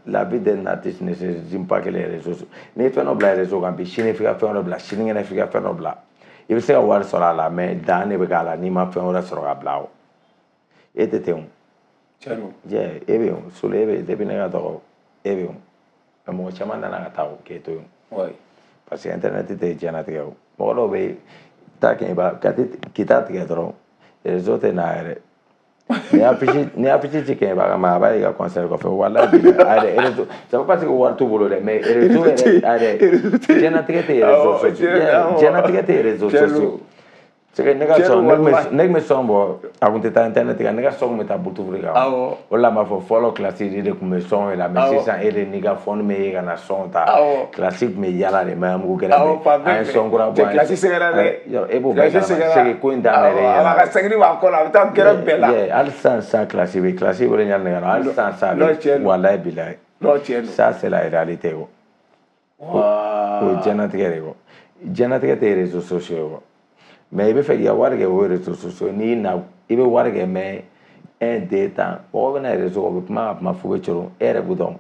la vie d'un artiste ne se résume pas que les réseaux sociaux. N'i ye fɛn dɔ bila réseau kan bi sini f'i ka fɛn dɔ bila sinikɛnɛ f'i ka fɛn dɔ bila. I bɛ se ka wari sɔrɔ a la mais dan de bɛ k'a la n'i ma fɛn wɛrɛ sɔrɔ ka bila o. E tɛ ten o. Tiɲɛ don. Jɛ e bɛ yen Solo e bɛ yen depuis ne ka dɔgɔ e bɛ yen mais mɔgɔ caman nana ka taa o k'e to yen. Parce que internet tɛ diɲɛlatigɛ o. Mɔgɔ dɔw bɛ yen taa kɛ i b'a k'i t'a tigɛ dɔrɔn réseau tɛ na yɛrɛ. Ni affiche ci kɛ i b'a kama a b'a ye ka concert kɔfɛ walayi bilayi a yɛrɛ réseau c'est pas parce que wari t'u bolo dɛ mais réseau yɛrɛ a yɛrɛ diɲɛlatigɛ tɛ réseau sociaux diɲɛlatigɛ tɛ réseau sociaux. C'est que ne ka sɔn ne tun bɛ sɔn bɔ a kun tɛ taa internet kan ne ka sɔn kun bɛ taa Bluetooth kan. O de la n b'a fɔ fɔlɔ classe de tun bɛ sɔn la mais sisan e de n'i ka phone bɛ ye ka na sɔn ta classe tun bɛ yala de Maɲanbugu kɛrɛfɛ an ye sɔn kura bɔ classe sɛgɛnna dɛ e b'o bɛɛ kalama c'est que ko in daminɛ de ɲɛna a ka sɛgɛnni b'a kɔ la a bɛ taa gɛrɛ bɛɛ la hali sisan sisan classe bɛ classe wele ɲani ne ka na hali sisan sisan walayi bilayi ça c'est la réalité o o ye diɲɛlatigɛ de ye o diɲɛlatigɛ tɛ réseaux sociaux ye o. Mais i bɛ fɛ k'i ka wari kɛ o réseaux sociaux n'i na i bɛ wari kɛ mais 1 2 tan mɔgɔ bɛ na réseau kan u bɛ kuma ka kuma f'u bɛ coron e yɛrɛ b'u dɔn.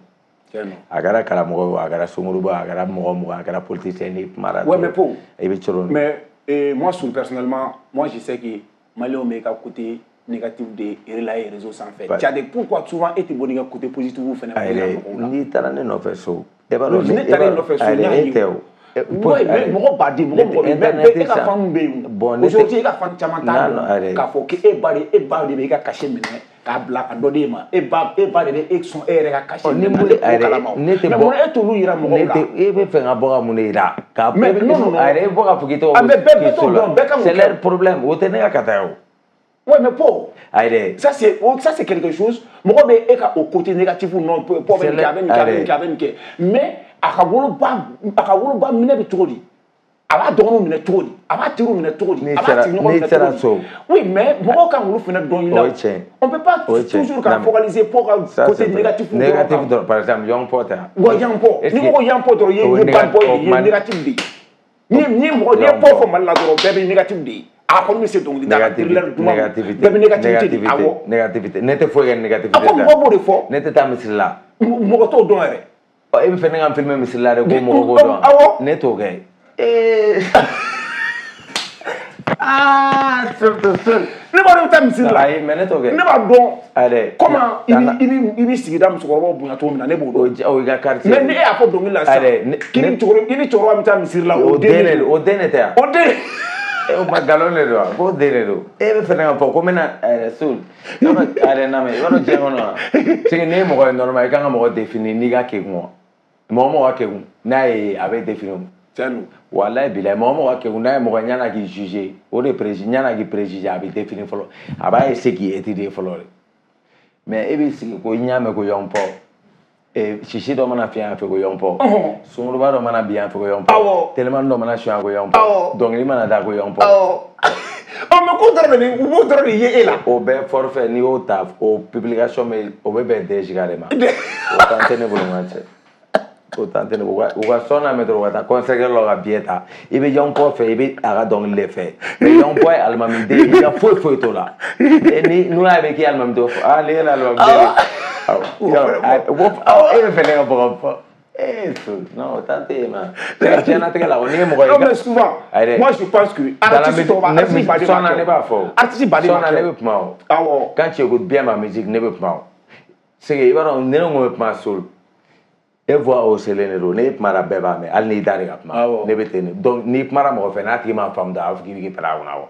A kɛra karamɔgɔ ye o a kɛra sunkuruba a kɛra mɔgɔ mɔgɔ a kɛra politicien n'i kumara dɔrɔn mais Po i bɛ coron. Mais moi personnellement moi je sais que Maliyɛnw bɛ ka côté négatif de relayer réseau sanfɛ. Tchadé pourquoi souvent e tɛ bɔ n'i ka côté positif fɛnɛ mɔgɔw la. N'i taara ne nɔfɛ so e b'a dɔn ne taara e nɔfɛ so n y'a ye e tɛ o. Ouais, mais mɔgɔ baden mɔgɔ mɔgɔ bɛ e ka fan bɛ yen aujourd'hui e ka fan caman t'a dɔn k'a fɔ k'e ba de e ba de bɛ e ka cachet minɛ k'a bila ka dɔ d'e ma e ba de bɛ e sɔn e yɛrɛ ka cachet minɛ ne t'o kalama o mais mun e t'olu yira mɔgɔw la e bɛ fɛ ka bɔ ka mun de yira k'a mais non non a yɛrɛ e bɔ ka fɔ k'i tɔgɔ ah mais bɛɛ t'o dɔn bɛɛ kan k'o kɛ c'est leur problème o tɛ ne ka kata ye o. Ouais, mais Po, aïe, ça c'est quelque chose. Mɔgɔ bɛ e ka o côté négatif non Po bɛ nin kɛ a bɛ nin kɛ a bɛ nin kɛ a bɛ nin kɛ mais a ka woloba minɛ bɛ cogo di a b'a dɔgɔninw minɛ cogo di a b'a teriw minɛ cogo di a b'a sigiɲɔgɔnw minɛ cogo di oui mais mɔgɔw kan k'olu fana dɔn i la on peut pas toujours ka focaliser Po ka côté négatif dɔrɔn par exemple Young Po tɛ wa Young Po ni ko Young Po dɔrɔn i ye bad boy de ye négatif de ye ni mɔgɔ n'i ye Po fɔ Mali la dɔrɔn bɛɛ bɛ négatif de ye a kɔni bɛ se dɔnkili da la thriller duman bɛɛ bɛ négativité de awɔ négativité ne tɛ foyi kɛ négativité a ko mɔgɔ b'o de fɔ ne tɛ taa misiri la mɔgɔ t'o dɔn yɛrɛ e bɛ fɛ ne ka n filmer misiri la de ko mɔgɔ b'o dɔn awɔ ne t'o kɛ ah surtout ne b'a dɔn i bɛ taa misiri la ayi mais ne t'o kɛ ne b'a dɔn ayi comment i bɛ sigida musokɔrɔbaw bonya cogo min na ne b'o dɔn o y'i ka quartier mais ni e y'a fɔ dɔnkili la sisan k'i ni cɛkɔrɔba bɛ taa misiri la o den de o den de tɛ yan o den o ma nkalon de don wa k'o den de don e bɛ fɛ ne ka fɔ ko n bɛna Sol i b'a dɔn i b'a dɔn diɲɛ kɔnɔ wa c'est que n'i ye mɔgɔ ye normal i kan ka mɔgɔ définir n'i ka kekun wa mɔgɔ mɔgɔ ka kekun n'a ye a bɛ définir o tiɲɛ don walayi bilayi mɔgɔ mɔgɔ ka kekun n'a ye mɔgɔ ɲana k'i juger o de préjuger ɲana k'i préjuger a bɛ définir fɔlɔ a b'a essayer k'i étudier fɔlɔ de mais e b'i sigi ko n y'a mɛn ko Young Po sisi dɔ mana fiɲɛ yan fɛ ko Young Po sunkuruba dɔ mana bin yan fɛ ko Young Po telimani dɔ mana suɲɛ ko Young Po dɔnkili mana da ko Young Po ɔ mais k'o dɔrɔn de u b'o dɔrɔn de ye e la o bɛɛ forfait n'i y'o ta o publication bɛ o bɛ bɛn 2 giga de ma o temps tɛ ne bolo n ka cɛ O tan tɛ ne u ka sɔn na mɛn dɔrɔn u ka taa concert la ka billet ta i bɛ Young Poi fɛ i bɛ a ka dɔnkili de fɛ mais Young Poi ye alimamiden i ka foyi foyi t'o la ni n'u y'a mɛn k'i ye alimamiden ah ne ye alimamiden de e bɛ fɛ ne ka bɔ ka fɔ non o tan tɛ yen ma diɲɛlatigɛ la n'i ye mɔgɔ ye. Non mais souvent moi je pense que artiste tɔw b'a artiste baden b'a kɛ ne b'a fɔ artiste baden b'a kɛ sɔnna ne bɛ kuma o. Awɔ. Quand tu écoutes bien ma musique ne bɛ kuma o. C'est que i b'a dɔn ne ko bɛ kuma sol. E voix o selen de don ne kumara bɛɛ b'a mɛn hali n'i da de ka kuma ne bɛ ten de donc n'i kumara mɔgɔ fɛ n'a tigi m'a faamu dɔrɔn a b'a fɔ k'i bɛ k'i pɛrɛn a kunna wa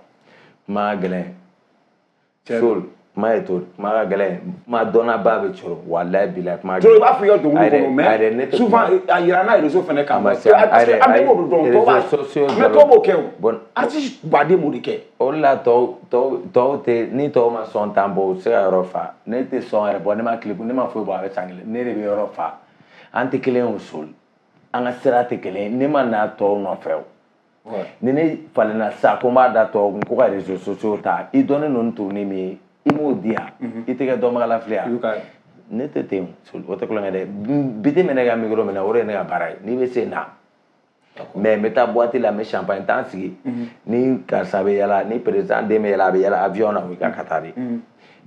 kuma gɛlɛn sol kuma ye to kuma ka gɛlɛn kuma dɔnnaba bɛ coro walayi bilayi kuma gɛlɛn. I b'a fɔ i ka dɔnkili kɔnɔ mais souvent a yira n'a réseau fana kan parce que an bɛɛ b'o dɔn tɔw b'a mais tɔw b'o kɛ o artiste baden b'o de kɛ. O de la tɔw tɛ ni tɔw ma sɔn tan bɔ u tɛ se ka yɔrɔ fa ne tɛ sɔn yɛrɛ bɔ ne ma clip ne ma foyi bɔ a bɛ san kelen ne de bɛ yɔrɔ fa. An tɛ kelen ye o sol an ka sira tɛ kelen ye ne ma na tɔw nɔfɛ o ni ne falenna sisan ko n b'a da tɔw kun ko ka réseaux sociaux ta i dɔnnen don ni tourner min ye i m'o di yan i tɛ kɛ dɔnbagalafili yan ne tɛ ten o tɛ kulonkɛ dɛ biti minɛ ka micro minɛ o de ye ne ka baara ye n'i bɛ se na mais n bɛ taa boîte la n bɛ champagne t'an sigi ni karisa bɛ yala ni président den bɛ yala a bɛ yala avion na o y'i ka taa de.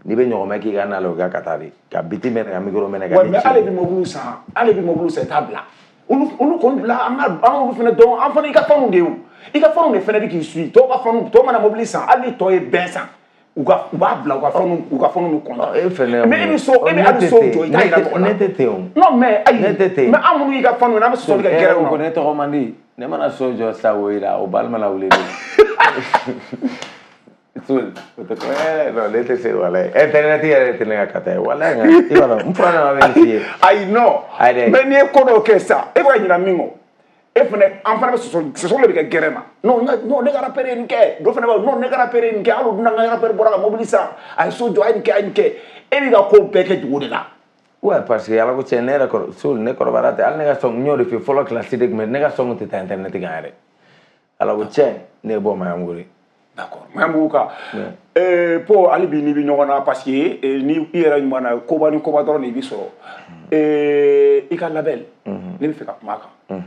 N'i bɛ ɲɔgɔnmɛ k'i ka na la o ka taa de ka biti minɛ ka micro minɛ ka. Mais ale bɛ mobili san ale bɛ mobili san i t'a bila olu kɔni bila an ka an olu fana dɔn an fana i ka fɛnw de ye o i ka fɛnw de fana bɛ k'i suit tɔw ka fɛnw tɔw mana mobili san hali ni tɔ ye bɛn san u b'a bila u ka fɛnw bɛ kɔntan. E fɛnɛ mais e bɛ so e bɛ hali so jɔ i t'a yira mɔgɔ la. Ne tɛ ten o. Non mais ayi ne tɛ ten. Mais an minnu y'i ka fɛnw ye n'an bɛ sɔsɔli kɛ gɛrɛw na. Ko ne tɔgɔ man di ne mana so jɔ sa o yira o balima la wuli de. Non, ne tɛ se walayi internet yɛrɛ tɛ ne ka kata ye walayi nka i b'a dɔn n fura nana bɛ nin f'i ye. Ayi non mais n'i ye ko dɔw kɛ sisan e bɛ ka ɲinɛ min kɔ e fana an fana bɛ sɔsɔli de bɛ kɛ gɛrɛ ma non non ne ka rappeur ye nin kɛ dɔ fana b'a fɔ non ne ka rappeur ye nin kɛ hali o dun na n ka rappeur bɔra ka mobili san a ye so jɔ a ye nin kɛ a ye nin kɛ e b'i ka ko bɛɛ kɛ dugu de la. Ouais parce que ala ko tiɲɛ ne yɛrɛ kɔrɔ so ne kɔrɔbayara ten hali ne ka sɔn n y'o de f'i ye fɔlɔ kilasi de tun bɛ ne ka sɔn tɛ taa internet kan yɛrɛ ala ko tiɲɛ ne ye bɔ Maɲanbugu. D'accord Maɲanbugu ka po hali bi n'i bɛ ɲɔgɔn na parce que ni i yɛrɛ ɲuman na koba ni koba dɔrɔn de i bɛ sɔrɔ i ka label ne bɛ fɛ ka kuma a kan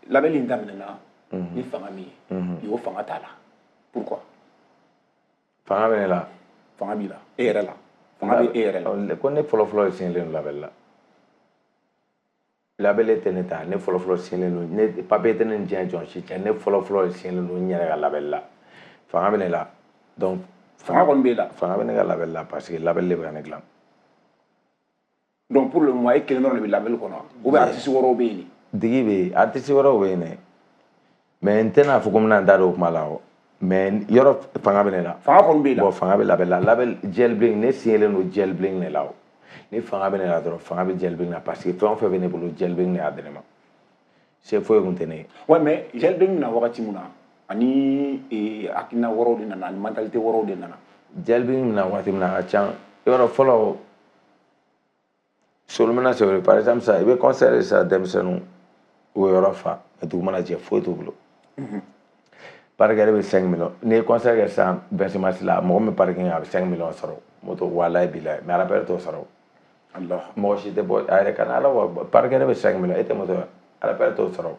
label in daminɛna ni fanga min ye bi o fanga t'a la pourquoi. Fanga bɛ ne la. Fanga b'i la e yɛrɛ la fanga bɛ e yɛrɛ la. Ko ne fɔlɔfɔlɔ signalen don label la. Label tɛ ne ta ne fɔlɔfɔlɔ signalen don ne papier tɛ ne ni diɲɛ jɔn si cɛ ne fɔlɔfɔlɔ signalen don n yɛrɛ ka label la fanga bɛ ne la donc. Fanga kɔni b'e la. Fanga bɛ ne ka label la parce que label de bɛ ka ne dilan. Donc pour le moment e kelen dɔrɔn de bɛ label kɔnɔ ou bien artiste wɛrɛw bɛ yen. Digi bɛ yen artiste wɛrɛw bɛ yen dɛ mais n tɛna fɔ ko n bɛna n da don o kuma la o mais yɔrɔ fanga bɛ ne la. Fanga kɔni b'e la. Bon fanga bɛ label la label Jel Bling ne signalen don Jel Bling de la o. Ni fanga bɛ ne la dɔrɔn fanga bɛ Jel Bling na parce que fɛn o fɛn bɛ ne bolo Jel Bling de y'a di ne ma se foyi kun tɛ ne ye. Ouais mais Jel Bling na wagati mun na ani hakilina wɛrɛw de nana ani mentalité wɛrɛw de nana. Jel Bling na wagati min na a ka ca yɔrɔ fɔlɔ solomana sɛbɛn par exemple sisan i bɛ concert sisan denmisɛnninw u bɛ yɔrɔ fa mais dugu mana jɛ foyi t'u bolo. Parking bɛ 5 millions n'i ye concert kɛ sisan 26 mars la mɔgɔ min bɛ parking a bɛ 5 millions sɔrɔ moto walayi bilayi mais rappeur t'o sɔrɔ. Mɔgɔ si tɛ bɔ a yɛrɛ kana ala wa parking bɛ 5 millions e tɛ moto ye rappeur t'o sɔrɔ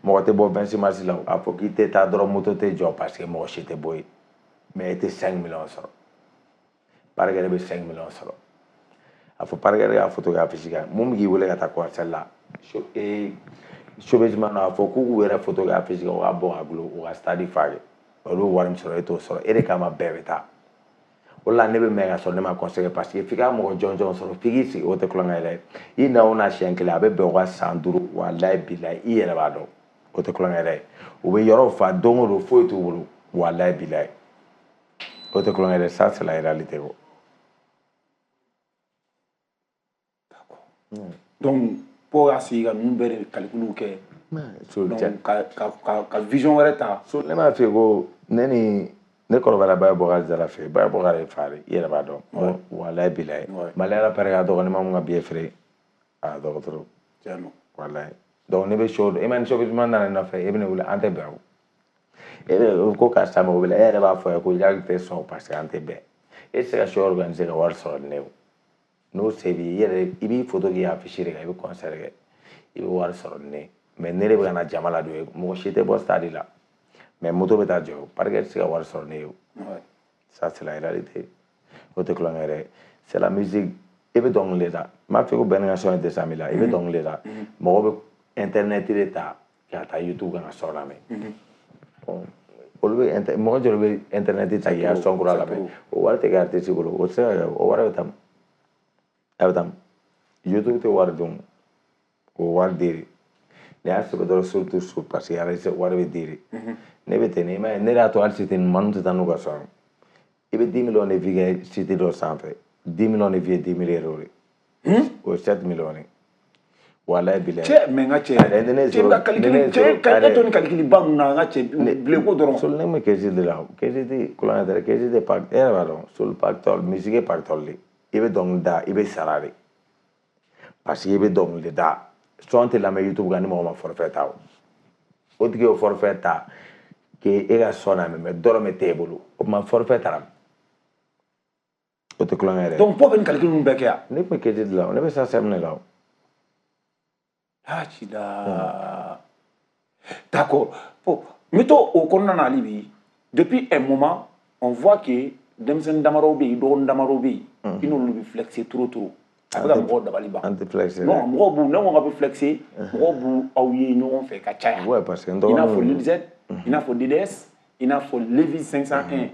mɔgɔ tɛ bɔ 26 mars la a fɔ k'i tɛ taa dɔrɔn moto tɛ jɔ parce que mɔgɔ si tɛ bɔ yen mais e tɛ 5 millions sɔrɔ parking bɛ 5 millions sɔrɔ a fɔ parking y'a photo kɛ affiche kan mun bɛ k'i wele ka taa concert la showbiz man a fɔ k'u k'u yɛrɛ photo kɛ affiche kan u ka bɔ ka gulo u ka stade fa kɛ olu bɛ wari min sɔrɔ e t'o sɔrɔ e de kama bɛɛ bɛ taa. O la ne bɛ mɛn ka sɔrɔ ne ma conseil parce que f'i ka mɔgɔ jɔnjɔn sɔrɔ f'i k'i sigi o tɛ kulonkɛ yɛrɛ i na o na siɲɛ kelen a bɛ bɛn o ka san 5 walayi bilayi i yɛrɛ b'a dɔn o tɛ kulonkɛ yɛrɛ u bɛ yɔrɔ fa don o don foyi t'u bolo walayi bilayi o tɛ kulonkɛ yɛrɛ ça c'est la réalité quoi. D'accord. Donc pour y'a sigi ka ninnu bɛɛ de calcul kɛ. Donc ka vision wɛrɛ ta. Ne m'a f'i ye ko ne ni. Ne kɔrɔbayara Baye Bokari Jara fɛ Baye Bokari ye fa de i yɛrɛ b'a dɔn walayi bilayi Mali rappeur ka dɔgɔ ne ma mun ka billet feere a dɔgɔ trop walayi donc ne bɛ show e ma ni showbiz man nana ne nɔfɛ e bɛ ne wele an tɛ bɛn o e bɛ ko karisa mago bɛ la e yɛrɛ b'a fɔ a ye ko Jacques tɛ sɔn parce que an tɛ bɛn e tɛ se ka show organiser ka wari sɔrɔ ni ne ye o N'o se b'i ye, i yɛrɛ i b'i photo k'i afficher de kan, i bɛ concert kɛ, i bɛ wari sɔrɔ ni ne. Mais ne de bɛ ka na jama ladon ye, mɔgɔ si tɛ bɔ stade la. Mais moto bɛ taa jɔ, parquet tɛ se ka wari sɔrɔ ne ye o. Ça, c'est la réalité. O tɛ kulonkɛ yɛrɛ. C'est la musique. I bɛ dɔnkili de da. N m'a fɔ ko bɛn ni ka son ye 200 000 la. I bɛ dɔnkili de da. Mɔgɔ bɛ internet de ta ka taa YouTube kan ka son lamɛn. Bon, olu bɛ mɔgɔ joli bɛ internet ta k'i ka son kura lamɛn? O wari tɛ kɛ artiste bolo. O tɛ se ka kɛ. O wari bɛ taa min? A bɛ taa min? YouTube tɛ wari dun. O wari di de. N'i y'a sɛbɛn dɔrɔn surtout sur parce que artiste wari bɛ di de. Ne bɛ ten, i m'a ye, ne de y'a to hali site ɲuman tɛ taa n'u ka son ye. I bɛ 10 millions de vues kɛ site dɔ sanfɛ. 10 millions de vues ye 10 000 euros de. O ye 7 millions de. Walayi bilayi. Cɛ, mais n ka cɛ. Cɛ bɛ ka calcul, cɛ e to ni calcul ba ninnu na, n ka cɛ, bilen ko dɔrɔn. Sol ne ma kɛsi de la, kɛsi tɛ kulonkɛ tɛ dɛ, kɛsi tɛ pacte, e yɛrɛ b'a dɔn, sol pactole, musique ye pactole de. I bɛ dɔnkili da, i bɛ sara de. Parce que i bɛ dɔnkili de da. Son tɛ lamɛn YouTube kan ni mɔgɔ ma forfait ta o. O tigi y'o forfait ta k'e ka son lamɛn, mais dɔrɔmɛ t'e bolo. O tuma forfait taara. O tɛ kulonkɛ yɛrɛ. Donc, pɔ bɛ nin calcul ninnu bɛɛ kɛ yan? Ne tun bɛ kɛsi de la, ne bɛ SACEM de la o. Ah, cida. D'accord. Bon, mettons au kɔnɔna na hali bi, depuis un moment, on voit que denmisɛnnin damadɔw bɛ yen, dɔgɔnin damadɔw bɛ yen, i n'olu bɛ flexer trop trop. A bɛ ka mɔgɔw dabali ban. An tɛ flexer. Non, mɔgɔw b'u, ne ko k'a bɛ flexer, mɔgɔw b'u aw ye ɲɔgɔn fɛ ka caya. Ouais, parce que n I n'a fɔ dɔgɔninw. Lil Z, i n'a fɔ DDS, i n'a fɔ Levis 501,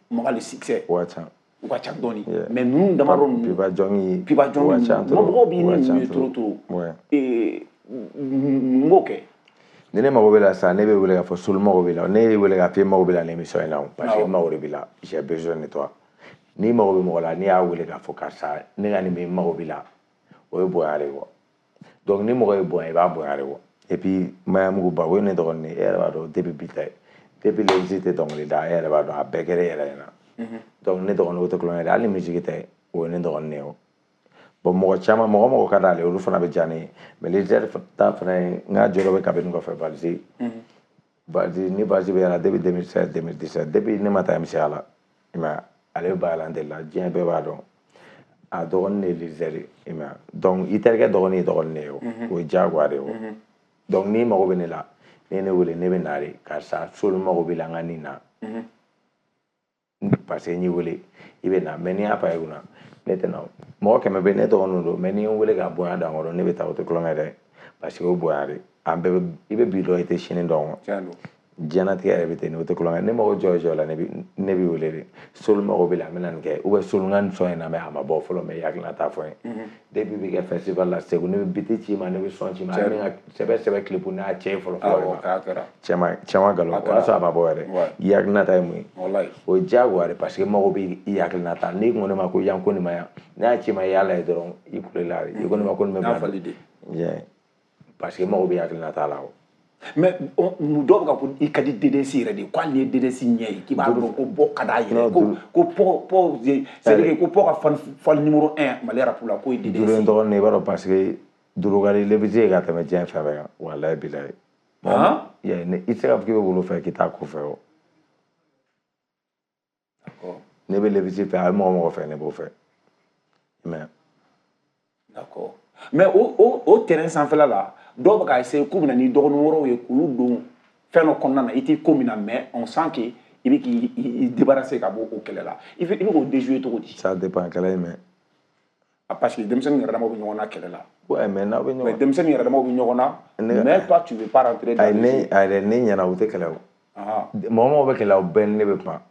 Maga le succès. O ka ca. U ka ca dɔɔni. Mais ninnu damadɔ ninnu. Pipa Jɔngi. Pipa Jɔngi. O ka ca trop. Mɔgɔw b'i ni O ka ca ninnu ye trop. trop trop. Ouais. Mun b'o kɛ? Ni ne mago bɛ la sisan, ne bɛ wele k'a fɔ Solu mago b'i la. Ne ye wele k'a fɔ e mago b'i la nin émission in na o. Parce que mago de b'i la. J'ai besoin de toi. N'i mago bɛ mɔgɔ la, n'i y'a wele k'a fɔ karisa, ne ka nin bɛ n mago b'i la, o ye bonya de ye quoi. Donc ni mɔgɔ ye bonya, i b'a bonya de quoi. Et puis Mayamugu Ba, o ye ne dɔgɔnin ye, e yɛrɛ b'a dɔn depuis bi tɛ. Depuis Levis tɛ dɔnkili da, e yɛrɛ b'a dɔn a bɛɛ kɛra e yɛrɛ ɲɛna. Donc ne dɔgɔnin o tɛ kulonkɛ ye, hali ni musique tɛ, o ye ne dɔgɔnin ye o. Bon, mɔgɔ caman, mɔgɔ mɔgɔ ka d'ale ye, olu fana bɛ diya ne ye. Mais Lil ta fana ye, n ka jɔyɔrɔ bɛ kabini kɔfɛ Valisi. Valisi, ni Valisi bɛ yala depuis 2016, 2017, depuis ne ma taa MCA la. I m'a ye, ale bɛ Bayalan de la, diɲɛ bɛɛ b'a dɔn. A dɔgɔnin de ye Lil Z ye, i m'a ye. Donc i terikɛ dɔgɔnin ye dɔgɔnin de ye o. O ye diyagoya de ye o. Donc n'i mago bɛ ne la, n'i ye ne wele, ne bɛ na de. Karisa, Solu mago b'i la, n ka nin na. Parce que n y'i wele, i bɛ na. Mais n'i y'a fa i kunna, ne tɛ na o. Mɔgɔ 100 bɛ yen, ne dɔgɔninw don, mais n'i ye n wele k'a bonya da n kɔrɔ, ne bɛ taa, o tɛ kulonkɛ dɛ. Parce que o bonya de. An bɛɛ bɛ, i bɛ bi dɔn, i tɛ sini dɔn. Tiɲɛ don. Diɲɛlatigɛ yɛrɛ bɛ ten, o tɛ kulonkɛ. Ne mago jɔ jɔ la, ne b'i wele de. Solu mago b'i la, n bɛna nin kɛ. Ou bien Solu n ka nin son in lamɛn, a ma bɔ fɔlɔ, mais i hakilina t'a fɔ n ye. Depuis bi kɛ festival la Segu, ne bɛ biti ci i ma, ne bɛ son ci i ma. Hali ne ka sɛbɛ sɛbɛ clip n'a cɛ ye fɔlɔ fɔlɔ. Awɔ, k'a kɛra. Cɛ ma nkalon, o y'a sɔrɔ a ma bɔ yɛrɛ. I hakilina ta ye mun ye? Walayi. O ye diyagoya de, parce que mago bɛ i hakilina ta. N'i ko ne ma ko yan ko nin ma yan, ne y'a ci ma i y'a lajɛ dɔrɔn, i kulela de. I ko ne ma ko nin bɛ N'a fali de. Yeah. Parce que mago bɛ hakilina ta la o. Mais dɔw bɛ ka ko i ka di DDS yɛrɛ de ye, ko hali n'i ye DDS ɲɛ ye, k'i b'a dɔn ko bɔ ka d'a yɛrɛ, ko pɔ pɔ c'est à dire ko pɔ ka fan numéro 1 Mali rap la, k'o ye DDS. Duuru in dɔgɔnin, i b'a dɔn, parce que duuru ka di Levis ye ka tɛmɛ diɲɛ fɛn bɛɛ kan, walayi bilayi. Han? Yeah, i tɛ se k'a fɔ k'i bɛ wolo fɛ k'i t'a ko fɛ o. D'accord. Ne bɛ Levis fɛ, a bɛ mɔgɔ mɔgɔ fɛ, ne b'o fɛ. I m'a ye? D'accord. Mais o terrain sanfɛla la, dɔw bɛ ka essayer k'u bɛna ni dɔgɔnin wɛrɛw ye k'olu don fɛn dɔ kɔnɔna na, i t'i ko min na, mais on sent que i bɛ k'i débarrasser ka bɔ o kɛlɛ la. I bɛ k'o déjouer cogo di? Ça dépend kɛlɛ in mais. Ah, parce que denmisɛnnin yɛrɛ damaw bɛ ɲɔgɔn na kɛlɛ la. Ouais, mais n'aw bɛ ɲɔgɔn. Mais denmisɛnnin yɛrɛ damaw bɛ ɲɔgɔn na. Mais toi tu veux pas rentrer dans. Ayi, ne ayi ne ɲɛna, u tɛ kɛlɛ o. Mɔgɔ mɔgɔ bɛ kɛlɛ o bɛɛ ni ne bɛ kuma.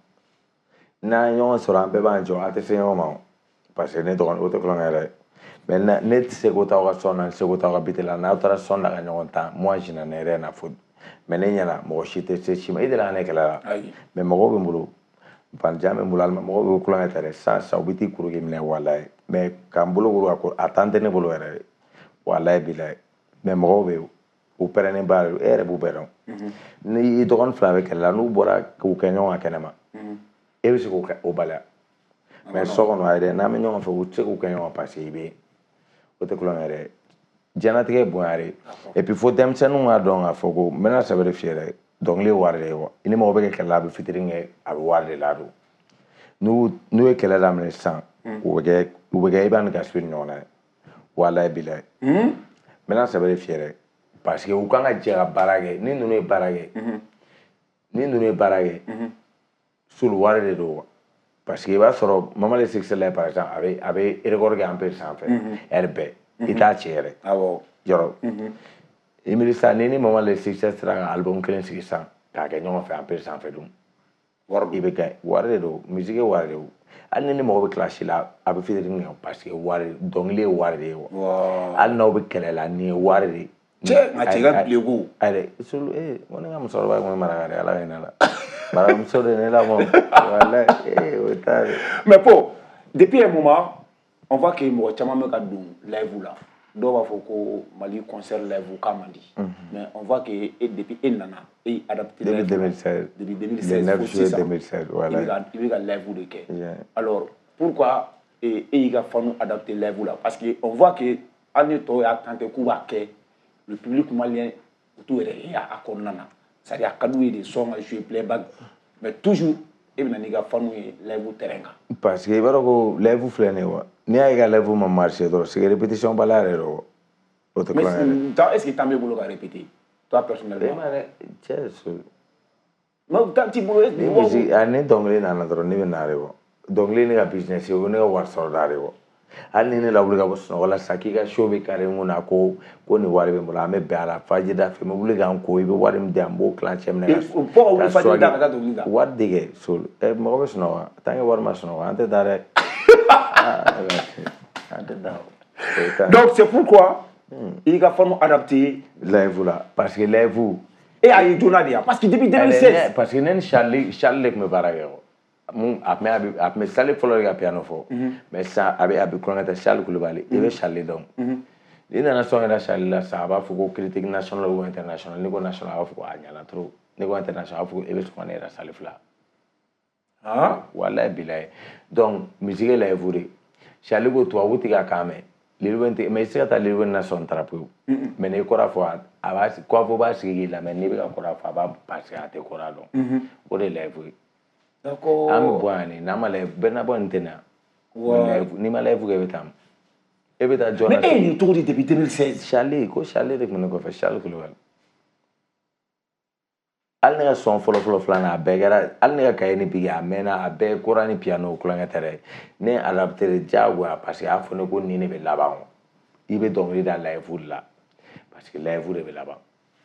N'an ye ɲɔgɔn sɔrɔ, an bɛɛ b'an jɔ, an tɛ se ɲɔgɔn ma o. Parce que ne dɔgɔnin, o tɛ kulonkɛ yɛrɛ ye. Mais ne tɛ se ko t'aw ka sɔn na, n tɛ se ko t'aw ka bite la. N'aw taara sɔn na ka ɲɔgɔn tan, moi je n'en ai rien à foutre. Mais ne ɲɛna, mɔgɔ si tɛ se si ma. I delila ka ne kɛlɛ la. Mais mɔgɔw bɛ n bolo, Valjan bɛ n bolo, alima mɔgɔw bɛ kulonkɛ ta dɛ. Sisan sisan u bɛ t'i kuru k'i minɛ, walayi. Mais k'an bolo kuru ka ko, a tan tɛ ne bolo yɛrɛ de. Walayi bilayi. Mais mɔgɔw bɛ yen, u pɛrɛnnen ba de don, e yɛrɛ b'u bɛɛ dɔn. Ni i dɔgɔnin fila bɛ kɛlɛ la, n'u bɔra k'u kɛ ɲɔgɔn kan kɛnɛma, e bɛ se k'o kɛ o baliya. Mais so kɔnɔ ayi dɛ, n'an bɛ ɲɔgɔn fɛ, u tɛ se k'u kɛ ɲɔgɔn kan parce que i bɛ yen. O tɛ kulonkɛ yɛrɛ ye. Diɲɛlatigɛ ye bonya de ye. Et puis fo denmisɛnninw k'a dɔn k'a fɔ ko n bɛna sɛbɛ de f'i ye dɛ, dɔnkili ye wari de ye wa. I ni mɔgɔ bɛ kɛ kɛlɛ la, a bɛ fitinin kɛ, a bɛ wari de ladon. N'u ye kɛlɛ daminɛ sisan, u bɛ kɛ U bɛ kɛ Iba ni Gaspi ni ɲɔgɔn na ye. Walayi bilayi. N bɛna sɛbɛ de f'i ye dɛ. Parce que u kan ka jɛ ka baara kɛ. Ni ninnu ye baara kɛ. Ni ninnu ye baara kɛ. Sulu wari de don wa. Parce que i b'a sɔrɔ Mama le Succès la par exemple a bɛ record kɛ Empire sanfɛ. Heure bɛɛ. I t'a ci yɛrɛ. Awɔ. Yɔrɔ. I miiri sisan ni Mama le Succès sera ka album kelen sigi sisan k'a kɛ ɲɔgɔn fɛ Empire sanfɛ dun. Wari I bɛ kɛ wari de don, musique ye wari de don. Hali ni mɔgɔ bɛ clash la a bɛ featuring kɛ parce que wari dɔnkili ye wari de ye wa. Hali n'aw bɛ kɛlɛ la nin ye wari de ye. Cɛ nka cɛ ka bileko. Ayi sulu n ko ne ka musokɔrɔba kun ye maraka de ye, Ala ka hinɛ la. Marakamuso de ye ne lamɔ. Walayi o t'a ye. Mais bon, depuis un moment, on voit que mɔgɔ caman bɛ ka don live la. Dɔw b'a fɔ ko Mali concert live k'a man di. Mais on voit que depuis e nana, e y'i adapté live. Depuis 2016. Depuis 2016. Le 9 juillet 2016, voilà. I bɛ ka live de kɛ. Alors, pourquoi e y'i ka fanu adapté live la? Parce que on voit que hali ni tɔw y'a tenté k'u b'a kɛ, le public malien u t'u yɛrɛ ye a kɔnɔna na. C'est-à-dire a ka d'u ye de son ka jouer playback. Mais toujours e bɛ na n'i ka fanu ye live terrain kan. Parce que i b'a dɔn ko live filɛ nin ye wa. N'i y'a ye ka live ma marché dɔrɔn, c'est que répétition bala yɛrɛ don. O tɛ kulonkɛ dɛ. Mais est-ce que temps b'e bolo ka répéter? Toi personnellement. E ma dɛ, cɛ so. Mais temps t'i bolo. Ni musique ni dɔnkili nana dɔrɔn ne bɛ na de wa. Dɔnkili ne ka business ye, o ne ka wari sɔrɔda de wa. Hali ni ne lawuli ka bɔ sunɔgɔ la sisan k'i ka show bɛ kari n kun na ko nin wari bɛ n bolo, an bɛ bɛn a la fajida fɛ, n bɛ wuli k'an ko i bɛ wari min di yan n b'o kilancɛ minɛ ka. Fo ka wuli fajida ka taa dɔnkili da. Wari de kɛ so mɔgɔ bɛ sunɔgɔ tant que wari ma sunɔgɔ an tɛ taa dɛ. Donc c'est pourquoi il a fallu adapter live là parce que live et à joona de parce que depuis 2016 parce que ne ni Charlie de tun bɛ baara kɛ mun a tun bɛ Charlie fɔlɔ de ka piano fɔ mais sisan a bɛ kulonkɛ tɛ Charlie Kulibali i bɛ Charlie dɔn n'i nana sɔn yɛrɛ Charlie la sisan a b'a fɔ ko critique nationale ou internationale n'i ko national a b'a fɔ ko a ɲana trop n'i ko international a b'a fɔ ko e bɛ sɔn ka ne yɛrɛ Charlie fila. Ah walayi bilayi donc musique ye live de Charlie ko tubabu tɛ ka kan mɛn Lil Wayne tɛ mais i tɛ se ka taa Lil Wayne na sɔn tara pewu mais n'i kɔrɔ fɔ a b'a kɔfɔ b'a sigi k'i lamɛn n'i bɛ ka kɔrɔ fɔ a b'a parce que a tɛ kɔrɔ dɔn o de ye live ye. D'accord. An bɛ bɔ yan de n'an ma live bɛɛ na bɔ nin tɛ na. N'i ma live kɛ i bɛ taa e bɛ taa jɔn na. Mais e ye nin cogo di depuis 2016. Charlie ko Charlie de tun bɛ ne kɔfɛ Charlie Kulibali. Hali ne ka sɔn fɔlɔ-fɔlɔ filanan a bɛɛ kɛra hali ne ka kaye ni bigi a mɛnna a bɛɛ kora ni piano kulonkɛ tɛ dɛ ne ye adapté de diyagoya parce que a y'a fɔ ne ko nin de bɛ laban o i bɛ dɔnkili da live de la parce que live de bɛ laban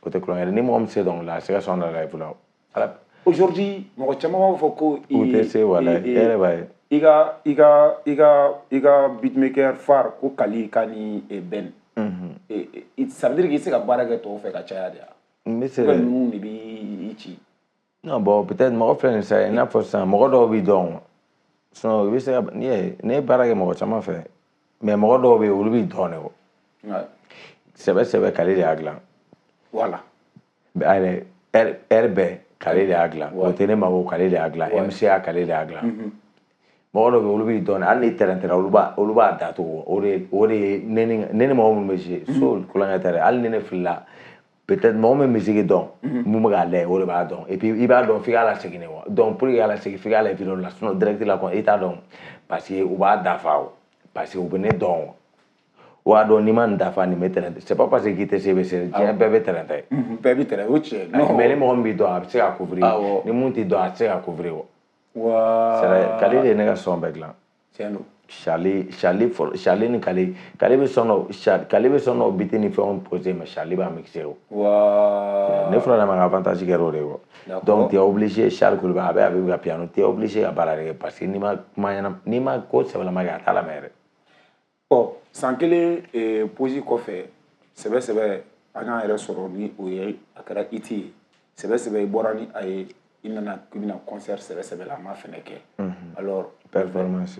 o tɛ kulonkɛ dɛ ni mɔgɔ min se dɔnkili la a se ka sɔn da live la o. Aujourd'hui mɔgɔ caman b'a fɔ ko. U tɛ se walayi e yɛrɛ b'a ye. I ka beatmaker phare ko Kali ka ni Ben. Ça veut dire que i tɛ se ka baara kɛ tɔw fɛ ka caya de wa. N bɛ se dɛ. Ninnu de b'i ci. Non bon peut-être mɔgɔ filɛ nin sisan i n'a fɔ sisan mɔgɔ dɔw b'i dɔn sinon i bɛ se ka n'i ye ne ye baara kɛ mɔgɔ caman fɛ mais mɔgɔ dɔw bɛ yen olu b'i dɔn de o. Sɛbɛ Kali de y'a dilan. Voilà. Ayi heure bɛɛ Kali de y'a dilan o tɛ ne ma ko Kali de y'a dilan MCA Kali de y'a dilan. Mɔgɔ dɔw bɛ yen olu b'i dɔn hali ni tɛrɛntɛra olu b'a datugu o de ye ne ni mɔgɔ minnu bɛ se so kulonkɛ tɛ dɛ hali ni ne filila. Peut-être mɔgɔ min bɛ musique dɔn mun bɛ k'a lajɛ o de b'a dɔn et puis i b'a dɔn f'i k'a lasegin de wa donc pour que k'a lasegin f'i k'a lajɛ vidéo la sinon direct la kɔni i t'a dɔn parce que u b'a dafa o parce que u bɛ ne dɔn o b'a dɔn n'i ma nin dafa nin bɛ tɛrɛntɛ c'est pas parce que k'i tɛ se i bɛ se diɲɛ bɛɛ bɛ tɛrɛntɛ. Bɛɛ bɛ tɛrɛntɛ o tiɲɛ. Mais ni mɔgɔ min b'i dɔn a bɛ se ka couvrir ni mun t'i dɔn a tɛ se ka couvrir o. Waa. Kali de ye ne ka son bɛɛ dilan. Tiɲɛ don. Charlie ni Kali Kali bɛ sɔn dɔ Kali bɛ sɔn dɔ beat ni fɛnw poser mais Charlie b'a mixer o. Waa. Ne fɔlɔ ma ka avantage kɛra o de ye o. Donc tu es obligé Charles Kulibali a bɛ ka piano tu es obligé ka baara de kɛ parce que n'i ma kuma ɲɛna n'i ma ko sɛbɛlama kɛ a t'a lamɛn yɛrɛ. Bon san kelen pause kɔfɛ sɛbɛ an y'an yɛrɛ sɔrɔ ni o ye a kɛra hit ye sɛbɛ i bɔra ni a ye. I nana k'i bɛna concert sɛbɛ la a ma fɛnɛ kɛ. Alors performance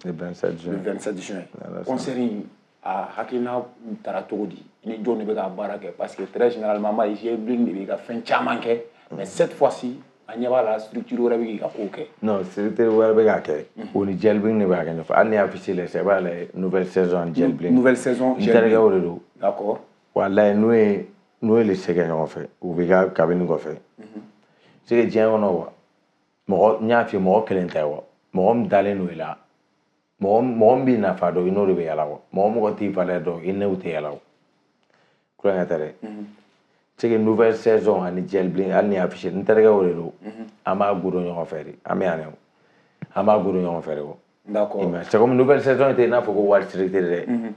le 27 juin. Le 27 juin. Concert in a hakilina taara cogo di ni jɔn de bɛ ka baara kɛ parce que très généralement ma ye Bling de bɛ ka fɛn caman kɛ mais cette fois-ci an ɲɛ b'a la structure wɛrɛ bɛ k'i ka kow kɛ. Non structure wɛrɛ bɛ k'a kɛ o ni Jel Bling de b'a kɛ ɲɔgɔn fɛ hali ni affiche la sisan i b'a lajɛ nouvelle saison Jel Bling. Nouvelle saison N terikɛw de don. D'accord. Walayi n'o ye le se kɛ ɲɔgɔn fɛ u bɛ ka kabini kɔfɛ. C'est que diɲɛ kɔnɔ wa mɔgɔ n y'a f'i ye mɔgɔ kelen tɛ wa mɔgɔ min dalen don i la Mɔgɔ min b'i nafa dɔn i n'o de bɛ yala o. Mɔgɔ t'i valeur dɔn i n'o tɛ yala o. Kulonkɛ tɛ dɛ. C'est que nouvelle saison ani Jɛlibili hali ni affiché n terikɛ o de don. An b'a godo ɲɔgɔn fɛ de. An bɛ yan dɛ. An b'a godo ɲɔgɔn fɛ de o. D'accord. C'est comme nouvelle saison tɛ i n'a fɔ ko wari structure dɛ.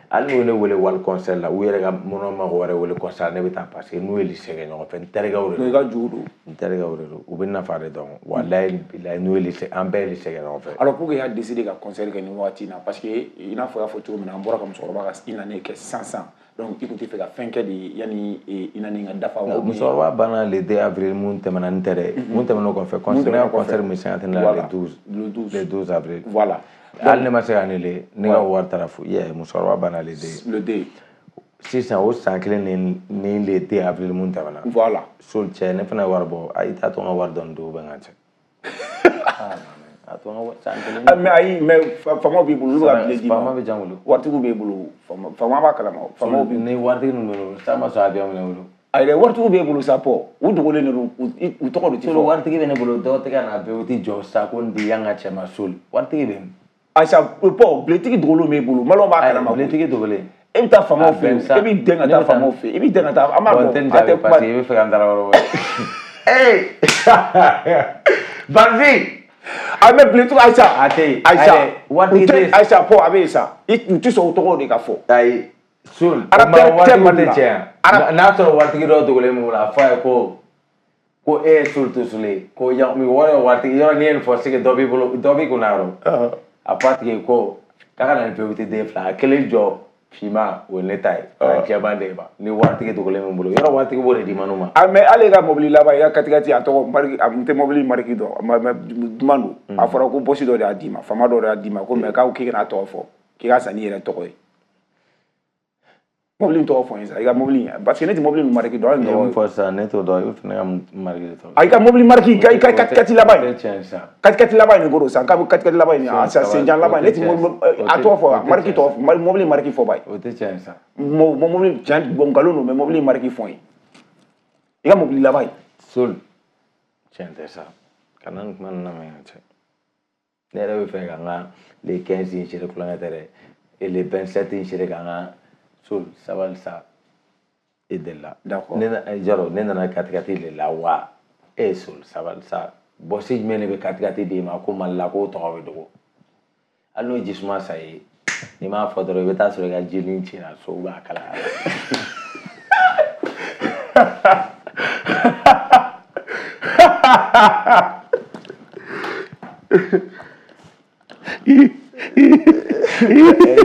Hali n'u ye ne wele wali concert la u yɛrɛ ka minnu mɔgɔ wɛrɛ wele concert ne bɛ taa parce que n'u ye lycée kɛ ɲɔgɔn fɛ n terikɛw de don. I ka jugu don. N terikɛw de don u bɛ nafa de dɔn walayi bilayi n'u ye lycée an bɛɛ ye lycée kɛ ɲɔgɔn fɛ. Alors pourquoi i y'a décidé ka concert kɛ nin waati in na parce que i n'a fɔ i y'a fɔ cogo min na an bɔra ka musokɔrɔba ka une année kɛ sisan donc i tun tɛ fɛ ka fɛn kɛ de yanni une année ka dafa wa. Musokɔrɔba banna le 2 avril mun tɛmɛna n tɛ dɛ mun tɛmɛna o kɔfɛ concert ne ka concert min cinquantenaire la le 12 avril. Voilà. Hali ne ma se ka annulé ne ka wari taara fu ye musokɔrɔba banna le 2. Le 2. Sisan o san kelen ni le 2 avril mun tɛmɛna. Voilà. Sol cɛ ne fana ye wari bɔ ayi t'a to n ka wari dɔɔni d'u bɛ n ka cɛ. A to n ka san kelen. Mais ayi mais faamaw b'i bolo olu bɛ ka billet d'i ma. Faama bɛ jan bolo. Waritigiw b'e bolo faama b'a kalama faamaw b'i. Ni waritigi ninnu bɛ bolo san ma sɔn avion minɛ bolo. Ayi dɛ waritigiw b'e bolo sa pɔ u dogolen de don u tɔgɔ de ti fɔ. Waritigi bɛ ne bolo dɔw tɛ ka na bɛɛ u ti jɔ sa ko n di yan ka cɛ ma sol waritigi bɛ min. Aïcha pɔ biletigi dogolen b'e bolo maliyɛnw b'a kalama. Biletigi dogolen. E bɛ taa faamaw fɛ yen e b'i dɛn ka taa faamaw fɛ yen i b'i dɛn ka taa an b'a dɔn a tɛ kuma. Parce que i bɛ fɛ ka n dara yɔrɔ wɛrɛ. Ee Barfi. A mais biletigi Aïcha. A tɛ yen. Aïcha waritigi tɛ yen. Aïcha pɔ a bɛ yen sa u tɛ sɔn o tɔgɔw de ka fɔ. Ayi sol. Rappeur tɛ Mali la. N'a sɔrɔ waritigi dɔ dogolen b'u bolo a fɔ a ye ko. Ko e ye sol tosule ko yan wɔrɔ waritigi yɔrɔ n'i ye nin fɔ c'est que dɔ b'i bolo dɔ b'i kunna yɔrɔ. A fɔ a tigi ye ko k'a ka na ni PVT den fila a kelen jɔ finman o ye ne ta ye a jɛman de ma ni waritigi dogolen bɛ n bolo yɔrɔ waritigi b'o de di ma n'o ma. Ah mais hali e ka mobili laban i ka katikati a tɔgɔ mariki a n tɛ mobili mariki dɔn mais duman don a fɔra ko bɔsi dɔ de y'a d'i ma faama dɔ de y'a d'i ma ko mais k'aw k'i kana tɔgɔ fɔ k'i ka san n'i yɛrɛ tɔgɔ ye. Mobili in tɔgɔ fɔ n ye sa i ka mobili parce que ne tɛ mobili in mariki dɔn. I ye mun fɔ sisan ne t'o dɔn i bɛ fɛ ne ka mariki de tɔgɔ. A i ka mobili mariki i ka katikati laban in. O tɛ tiɲɛ sisan. Katikati laban in de ko don sisan k'a bɛ katikati laban in a senjan laban in ne tɛ mobili a tɔgɔ fɔ mariki tɔgɔ fɔ mobili mariki fɔ ba ye. O tɛ tiɲɛ sisan. Mobili tiɲɛ bon nkalon don mais mobili mariki fɔ n ye. I ka mobili laban in. Sol tiɲɛ tɛ sa kana nin kuma ninnu lamɛn ka cɛ. Ne yɛrɛ bɛ fɛ ka n ka le 15 in sere kulonkɛ tɛ dɛ et le 27 in sere ka n ka. Sol sabali sa e delila. D'accord. Ne jaro ne nana katikati de la wa e sol sabali sa bɔsi jumɛn de bɛ katikati d'e ma ko Mali la k'o tɔgɔ bɛ dogo hali n'o ye jisuma sa ye n'i m'a fɔ dɔrɔn i bɛ taa sɔrɔ i ka jeli cira so b'a kalaya. I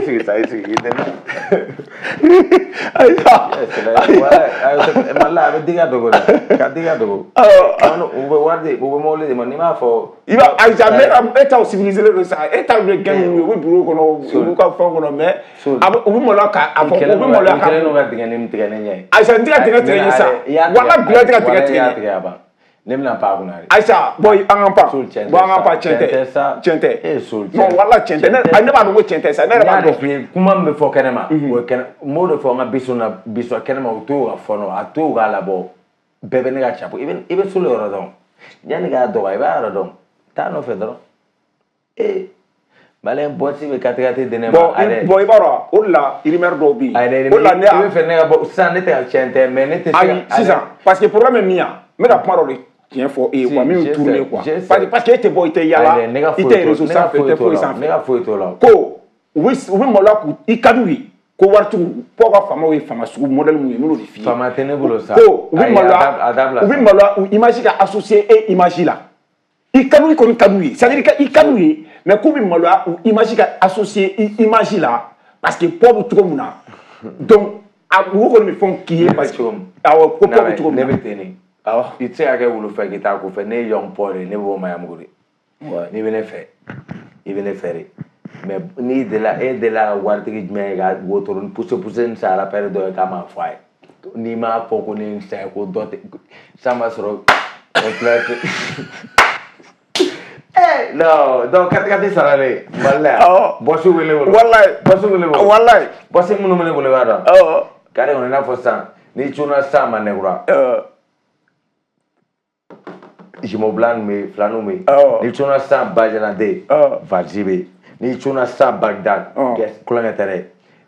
sigi sa i sigi i tɛ. Ayiwa. Mali la a bɛ digi dogo dɛ ka digi dogo. U bɛ wari di u bɛ mobili di ma n'i m'a fɔ. I b'a Aïcha e t'aw civilisé don sa e t'aw bɛ gɛn u bɛ bureau kɔnɔ u b'u ka fɛn kɔnɔ mais u bɛ maloya k'a fɔ u bɛ maloya k'a. U kɛlen don ka dingɛ nin tigɛ ne ɲɛ ye. Aïcha n tɛ ka dingɛ tigɛ ɲɛ sa wala bila tɛ ka dingɛ tigɛ ɲɛ. Ne bɛna pan a kunna de. Aïcha bon an k'an pan. Bon an k'an pan tiɲɛ tɛ. Tiɲɛ tɛ. E sol. Non wala tiɲɛ tɛ ne b'a dɔn ko tiɲɛ tɛ sa ne yɛrɛ b'a dɔn. N y'a de f'i ye kuma min bɛ fɔ kɛnɛma. O ye kɛnɛ n b'o de fɔ n ka biso na biso kɛnɛma u t'o ka fɔ nɔ a t'o k'a labɔ bɛɛ bɛ ne ka capo i bɛ solo yɔrɔ dɔn yanni k'a dɔgɔ i b'a yɔrɔ dɔn taa nɔfɛ dɔrɔn ee maliyɛn bɔsi bɛ katikati di ne ma. Bon i b'a dɔn o de la rumeur dɔw bɛ yen. O de la ne. I bɛ fɛ ne ka bɔ sisan ne tɛ ka tiɲɛ tɛ mais ne tɛ se ka. Ayi sisan parce que problème ye min ye n bɛ ka kuma dɔ de. Tiɲɛ fɔ e ye quoi min bɛ tourner quoi parce que e tɛ bɔ i tɛ yaala i tɛ réseau sanfɛ i tɛ foyi sanfɛ. Ne ka foyi t'o la. Ko u bɛ maloya k'u i ka d'u ye ko waritigiw fo ka faamaw ye faama sugu modèle mun ye n'olu de f'i ye. Faama tɛ ne bolo sa. Ko u bɛ maloya u image ka associer e image la i ka d'u kɔni ka d'u ye c'est à dire i ka d'u ye mais k'u bɛ maloya u image ka associer i image la parce que pɔ bɛ cogo min na donc u kɔni bɛ fɛnw k'i ye parce que awɔ ko pɔ bɛ cogo min na. Ne bɛ ten de. I tɛ se ka kɛ wulu fɛ k'i t'a ko fɛ ne ye Young Paul de ye ne bɛ bɔ Mayamugu de n'i bɛ ne fɛ i bɛ ne fɛ de mais n'i delila e delila ka waritigi jumɛn ye ka wotoro ni pousse pousse ni san rappeur dɔ ye k'a m'a fɔ a ye n'i m'a fɔ ko ne ye san ye ko dɔ tɛ san ma sɔrɔ influence eh non donc katikati saralen Mali la yan bɔsi bɛ ne bolo walayi bɔsi bɛ ne bolo walayi bɔsi minnu bɛ ne bolo i b'a dɔn kare kɔnɔ i n'a fɔ sisan n'i cunna sisan ma nɛgura jumeau blanc bɛ yen filaninw bɛ yen n'i cunna sisan Bajanade Valsi bɛ yen N'i cunna sisan Bagdad, kulonkɛ tɛ dɛ.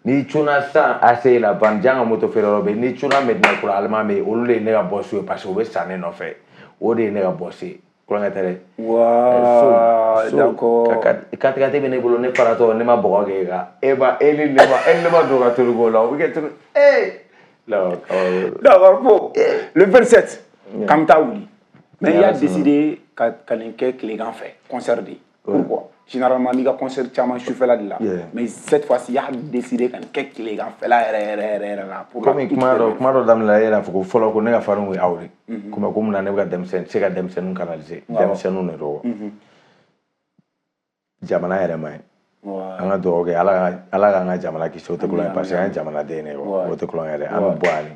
N'i cunna sisan ACI la, Van Jan ka moto feere yɔrɔ bɛ yen. N'i cunna Medina Kura, Allemand bɛ yen. Olu de ye ne ka boss ye parce que u bɛ san ne nɔfɛ. O de ye ne ka boss ye. Kulonkɛ tɛ dɛ. Waa, d'accord. Katikati bɛ ne bolo, ne faratɔ, ne ma bɔgɔ kɛ e kan. E ma e ni ne ma e ni ne ma don ka toliko la, o bɛ kɛ cogo ee. D'accord, bon, le 27, k'an bɛ taa wuli. Mais il a décidé ka nin kɛ tilegan fɛ, concert de. Pourquoi? Généralement, n'i ka concert caman sufɛla de la. Mais cette fois-ci, il a décidé ka nin kɛ tilegan fɛla yɛrɛ yɛrɛ yɛrɛ yɛrɛ la. Komi kuma dɔ daminɛ la, e yɛrɛ fɔ ko fɔlɔ ko ne ka farinw ye aw de. Komi ko mun na ne bɛ ka denmisɛnnin se ka denmisɛnninw canaliser. Denmisɛnninw de don. Jamana yɛrɛ ma ɲi. An ka dugawu kɛ Ala k'an ka jamana kisi, o tɛ kulonkɛ parce que an ye jamanaden de ye, o tɛ kulonkɛ dɛ. An bɛ bɔ yan de.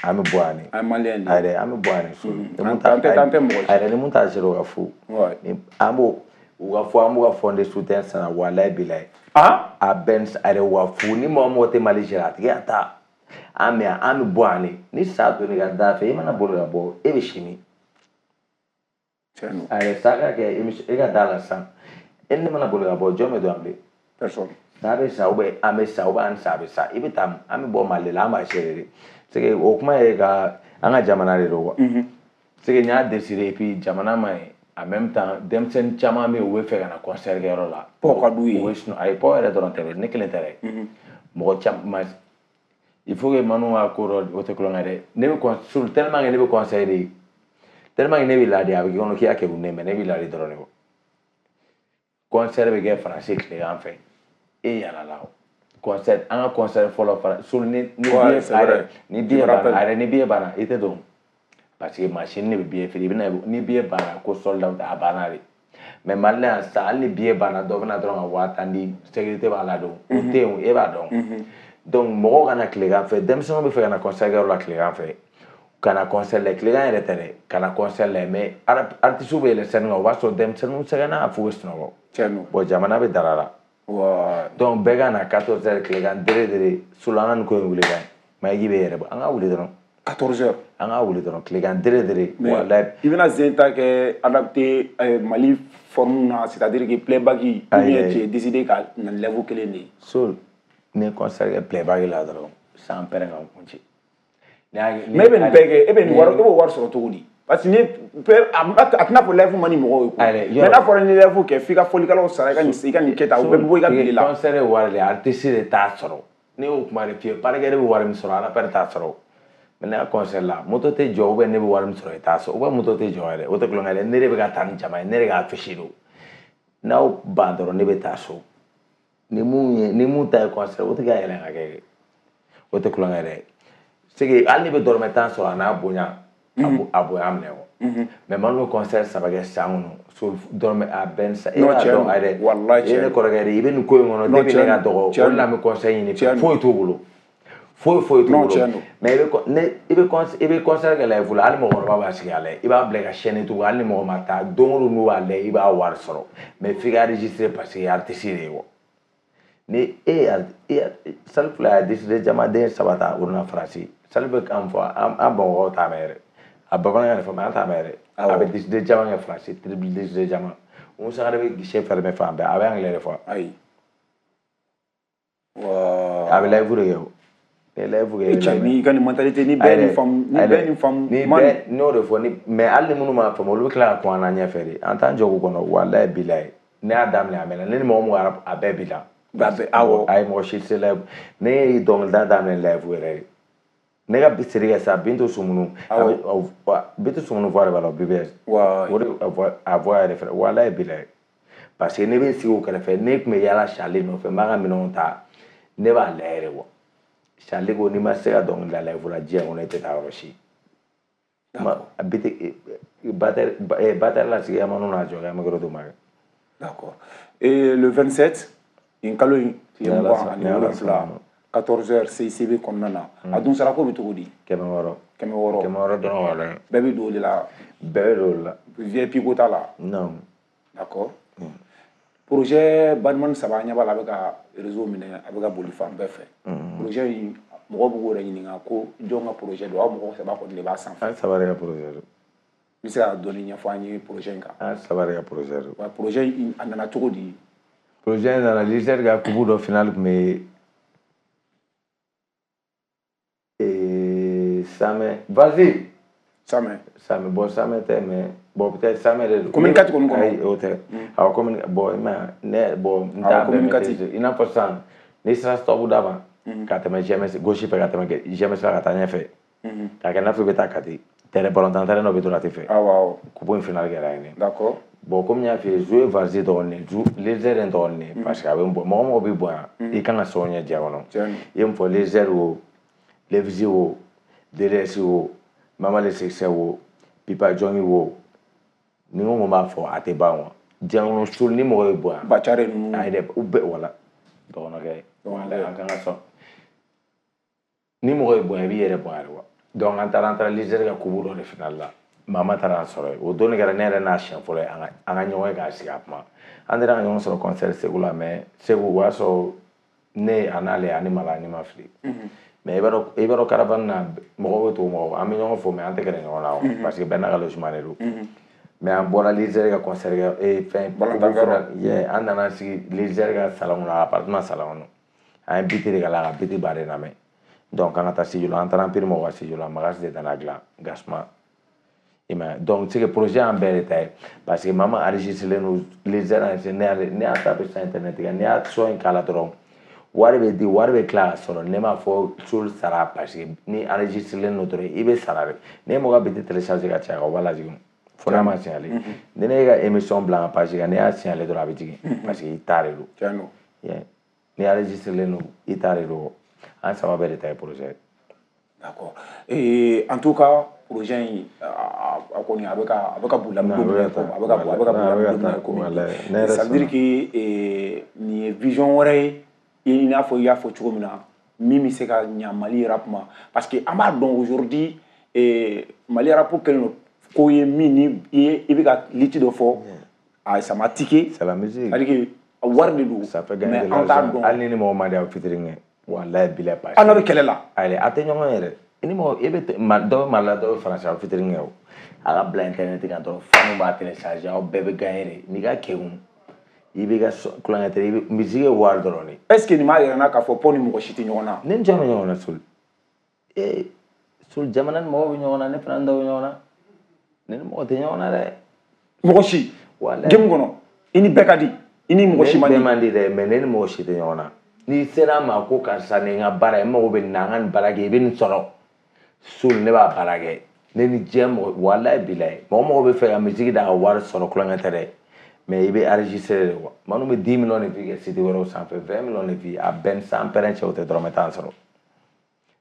An bɛ bɔ yan de. An ye maliyɛn de ye. Ayi dɛ, an bɛ bɔ yan de so. An tɛ mɔgɔ si. Ayi dɛ, ni mun t'a sera o ka fu. An b'o u ka fɔ, an b'u ka fond de soutien sara, walayi bilayi. A bɛɛ a yɛrɛ wa fu ni mɔgɔ mɔgɔ tɛ Mali sera a tigi y'a ta. An bɛ yan, an bɛ bɔ yan de. Ni sa donna i ka da fɛ, i mana boli ka bɔ, e bɛ simi. A yɛrɛ sa ka kɛ e ka da la sisan. E ni ne mana boli ka bɔ, jɔn bɛ don yan bilen? Personne. Sa bɛ sa, ou bien an bɛ sa, ou bien an sa bɛ sa. I bɛ taa, an bɛ bɔ Mali la, an b'a gérer de. C'est que o kuma ye ka an ka jamana de don quoi. C'est que n y'a décidé et puis jamana ma ɲi. En même temps, denmisɛnnin caman bɛ yen, u bɛ fɛ ka na concert kɛyɔrɔ la. Pɔ ka d'u ye. U bɛ sunɔgɔ, ayi pɔ yɛrɛ dɔrɔn tɛ dɛ, ne kelen tɛ dɛ. Mɔgɔ caman, il faut que Manu ka ko dɔ, o tɛ kulonkɛ dɛ. Ne bɛ tellement que ne bɛ conseil de, tellement que ne bɛ ladi, a bɛ k'i kɔnɔ k'i y'a kɛ ne mais ne bɛ ladi dɔrɔn de quoi. Concert bɛ kɛ Faransi tilegan fɛ, e yalala o. Concert, an ka concert fɔlɔ Faransi, ni billet ni billet banna, a yɛrɛ ni billet banna, i tɛ don. Parce que machine de bɛ billet feere, i bɛna ni billet banna ko sold out, a banna de. Mais Mali la yan sisan, hali ni billet banna, dɔ bɛna dɔrɔn ka 10,000 di, sécurité b'a la don, o tɛ yen, e b'a dɔn. Donc mɔgɔw ka na tilegan fɛ, denmisɛnninw bɛ fɛ ka na concert kɛyɔrɔ la tilegan fɛ, ka na concert la, tilegan yɛrɛ tɛ dɛ, ka na concert la, mais artistes bɛ yɛlɛ scène kan, o b'a sɔrɔ denmisɛnninw sɛgɛnna f'u bɛ sunɔgɔ. Bon, jamana bɛ dara la. Donc bɛɛ ka na 14 heures tilegan dere dere, so la an ka nin ko in wuli ka ɲi. Mayigi bɛ yɛrɛ bɔ, an ka wuli dɔrɔn. 14 heures. An ka wuli dɔrɔn tilegan dere dere. Walayi. I bɛna zen ta kɛ adapté Mali forme na, c'est-à-dire que playback ou bien tu es décidé ka na level kelen de ye. So ni concert kɛ playback la dɔrɔn, san pɛrɛn ka n kun ci. Mais e bɛ nin bɛɛ kɛ, e bɛ nin wari, e b'o wari sɔrɔ cogo di? Parce que ni a tɛna fɔ live man di mɔgɔw ye koyi. Mais n'a fɔra ni live kɛ, f'i ka fɔlikɛlaw sara, i ka nin kɛ tan, o bɛɛ bɛ bɔ i ka bile la. Concert ye wari de ye, artiste de t'a sɔrɔ. Ne y'o kuma de f'i ye, parikɛ de bɛ wari min sɔrɔ, rappeur t'a sɔrɔ. Mais ne ka concert la, moto tɛ jɔ, ou bien ne bɛ wari min sɔrɔ i t'a sɔrɔ, ou bien moto tɛ jɔ yɛrɛ, o tɛ kulonkɛ dɛ. Ne de bɛ ka taa ni jama ye, ne de ka affiche don. N'aw ban dɔrɔn, ne bɛ taa so. Ni mun ye, ni mun ta ye concert, o tɛ ka yɛlɛn ka kɛ, o tɛ kulonkɛ dɛ. C'est que hali ni bɛ dɔrɔmɛ 10 sɔrɔ, a n'a bonya, a bonya minɛ o. Mais Manu bɛ concert 3 kɛ san kɔnɔ, so dɔrɔmɛ a bɛɛ sa. E b'a dɔn a yɛrɛ, walayi e ye ne kɔrɔkɛ de ye, i bɛ nin ko in kɔnɔ depuis ne ka dɔgɔ, o de la n bɛ conseil ɲini, foyi t'u bolo. Foyi foyi t'u bolo. Mais i bɛ concert kɛ live la, hali mɔgɔkɔrɔba b'a sigi a lajɛ, i b'a bila i ka chaîne YouTube, hali ni mɔgɔ ma taa, don o don n'u b'a lajɛ, i b'a wari sɔrɔ. Mais f'i ka enregistrer parce que i ye artiste de ye wa. Ni e Salif y'a décidé jamaden 3 ta o nana Faransi, Salif bɛ kan fɔ an Bamakɔkaw t'a mɛn yɛrɛ, a bamanankan de fɔ mais an t'a mɛn yɛrɛ. A bɛ décidé caman kɛ Faransi, triple décidé caman. Oumou Sangaré bɛ guichet fermé fan bɛɛ, a bɛ anglais de fɔ. Ayi. A bɛ live de kɛ o. Ni live kɛ. Cɛ n'i ka nin mentalité ni bɛɛ nin faamu, ni bɛɛ nin faamu. Ni bɛɛ n'o de fɔ ni mais hali ni minnu m'a faamu, olu bɛ tila ka kun an na ɲɛfɛ de. An t'an jɔ k'u kɔnɔ, walayi bilayi. Ne y'a daminɛ a mɛnna, ne ni mɔgɔ mun a bɛɛ b'i la. Awɔ. A ye mɔgɔ si tɛ live. Ne ye dɔnkilida daminɛ live yɛrɛ de. Ne ka siri kɛ sa Bintu Sumunu. Bintu Sumunu voix de b'a la BBS. O de a voix yɛrɛ fɛnɛ walayi bilayi. Parce que ne bɛ sigi o kɛrɛfɛ, ne tun bɛ yaala Charlie nɔfɛ, n b'a ka minɛnw ta, ne b'a lajɛ yɛrɛ quoi. Charlie ko n'i ma se ka dɔnkili da live la diɲɛ kɔnɔ, e tɛ taa yɔrɔ si. Batteur la sigi Amanu n'a jɔ kɛ, an bɛ yɔrɔ d'o ma kɛ. D'accord. Et le 27, nin kalo in tile 27, 14h CICB kɔnɔna na. A dun sarako bɛ cogo di? 600. 600. 600 dɔrɔn wala. Bɛɛ bɛ don o de la. Bɛɛ bɛ don o de la. VIP ko t'a la. Non. D'accord. Projet Badman 3 ɲɛ b'a la, a bɛ ka réseau minɛ, a bɛ ka boli fan bɛɛ fɛ. Projet in mɔgɔw b'u yɛrɛ ɲininka ko jɔn ka projet don, aw mɔgɔ 3 kɔni de b'a sanfɛ. An 3 de ka projet don. I bɛ se ka dɔɔni ɲɛfɔ an ye projet in kan? An 3 de ka projet don. Wa projet in a nana cogo di? Projet in nana Leader ka coupe dɔ finale tun bɛ Samɛ vas-y. Samɛ. Samɛ bon Samɛ tɛ mais bon peut-être Samɛ de don. Commune 4 kɔni kɔnɔ. Ayi o tɛ. Awɔ commune bon i ma ye ne bon n t'a bɛɛ maîtriser i n'a fɔ sisan n'i sera stop da ma. Ka tɛmɛ GMS gauche fɛ ka tɛmɛ GMS la ka taa ɲɛfɛ. K'a kɛ i n'a fɔ i bɛ taa Kati. Terrain ballontan terrain dɔ bɛ droite fɛ. Awɔ awɔ. Coupe in finale kɛra yen de. D'accord. Bon comme n y'a f'i ye Zoé Varzi dɔgɔnin Lezer n dɔgɔnin parce que a bɛ n bɔ mɔgɔ mɔgɔ b'i bonya i kan ka sɔn ɲɛ diɲɛ kɔnɔ. I ye mun fɔ Lezer o Levzi o DDS o Mama le Succès o Pipa Jɔngi o ni n ko n b'a fɔ a tɛ ban wa diɲɛ kɔnɔ so ni mɔgɔ y'i bonya. Bacare ninnu. Ayi dɛ u bɛɛ wala dɔgɔnɔkɛ wala an kan ka sɔn ni mɔgɔ y'i bonya i b'i yɛrɛ bonya de wa. Donc an taara Lezer ka coupe dɔ de finale la. Mama taara an sɔrɔ yen o don de kɛra ne yɛrɛ n'a siɲɛ fɔlɔ ye an ka ɲɔgɔn ye k'a sigi a kuma an taara ka ɲɔgɔn sɔrɔ concert Segu la mais Segu o y'a sɔrɔ ne a n'ale ani Mala ni ma fili mais i b'a dɔn caravane na mɔgɔw bɛ tugu mɔgɔw an bɛ ɲɔgɔn fo mais an tɛ gɛrɛ ɲɔgɔn na o parce que bɛɛ n'a ka logement de don mais an bɔra Lezer ka concert kɛ fɛn coupe an nana sigi Lezer ka salon kɔnɔ appartement salon kɔnɔ an ye biti de k'a la ka biti ba de lamɛn donc an ka taa studio la an taara an piri mɔgɔ ka studio la Magas de nana dilan Gasma. Donc c'est que projet en bɛɛ de ta ye parce que mama enregistré don Lezer enregistré ne y'a tapé sur internet kan ne y'a son in k'a la dɔrɔn wari bɛ di wari bɛ tila ka sɔrɔ ne m'a fɔ sol sara parce que ni enregistré don dɔrɔn i bɛ sara de ne ye mɔgɔ ka biti télécharger ka caya o b'a lajigin fo n'a ma signaler ni ne ka émission bila n ka page kan ne y'a signaler dɔrɔn a bɛ jigin parce que i ta de don ni enregistré don i ta de don an saba bɛɛ de ta ye projet. D'accord. Et en tout cas, projet in a kɔni a bɛ ka boli an bɛ don min na komi a bɛ ka boli an bɛ don min na komi ça veut dire que nin ye vision wɛrɛ ye i n'a fɔ i y'a fɔ cogo min na min bɛ se ka ɲa Mali rap ma parce que an b'a dɔn aujourd'hui Mali rap kɛlen don ko ye min ni i bɛ ka liti dɔ fɔ a ça m'a tiqué. C'est la musique. C'est à dire que wari de don. Ça fait gagner de l'argent. Hali ni mɔgɔ ma di aw featuring kɛ. Walayi bilayi parce que. An bɛ kɛlɛ la. Ayi a tɛ ɲɔgɔn yɛrɛ. I ni mɔgɔ i bɛ dɔ bɛ Mali la dɔ bɛ Faransi aw featuring kɛ o. A ka bila internet kan dɔrɔn fanu b'a télécharger aw bɛɛ bɛ gagner de n'i ka kekun i b'i ka kulonkɛ tɛ i bɛ musique ye wari dɔrɔn de. Est ce que nin b'a yira n na k'a fɔ Pɔn ni mɔgɔ si tɛ ɲɔgɔn na. Ne ni jɔn bɛ ɲɔgɔn na Sol. Ee Sol jamana ni mɔgɔw bɛ ɲɔgɔn na ne fana ni dɔw bɛ ɲɔgɔn na ne ni mɔgɔ tɛ ɲɔgɔn na dɛ. Mɔgɔ si. Walayi. Game kɔnɔ i ni bɛɛ ka di i ni mɔgɔ si man di. Ne ni bɛɛ man di dɛ mais ne ni mɔgɔ si tɛ ɲɔgɔn na. N'i sera a ma ko karisa nin n ka baara ye n mago bɛ nin na an ka nin baara kɛ i bɛ nin sɔrɔ Sol ne b'a baara kɛ ne ni diɲɛ mɔgɔ walayi bilayi mɔgɔ mɔgɔ bɛ fɛ ka musique da ka wari sɔrɔ kulonkɛ tɛ dɛ mais i bɛ enregistrer de quoi minnu bɛ 10 millions de vues kɛ site wɛrɛw sanfɛ 20 millions de vues a bɛɛ ni san pɛrɛn cɛ o tɛ dɔrɔmɛ tan sɔrɔ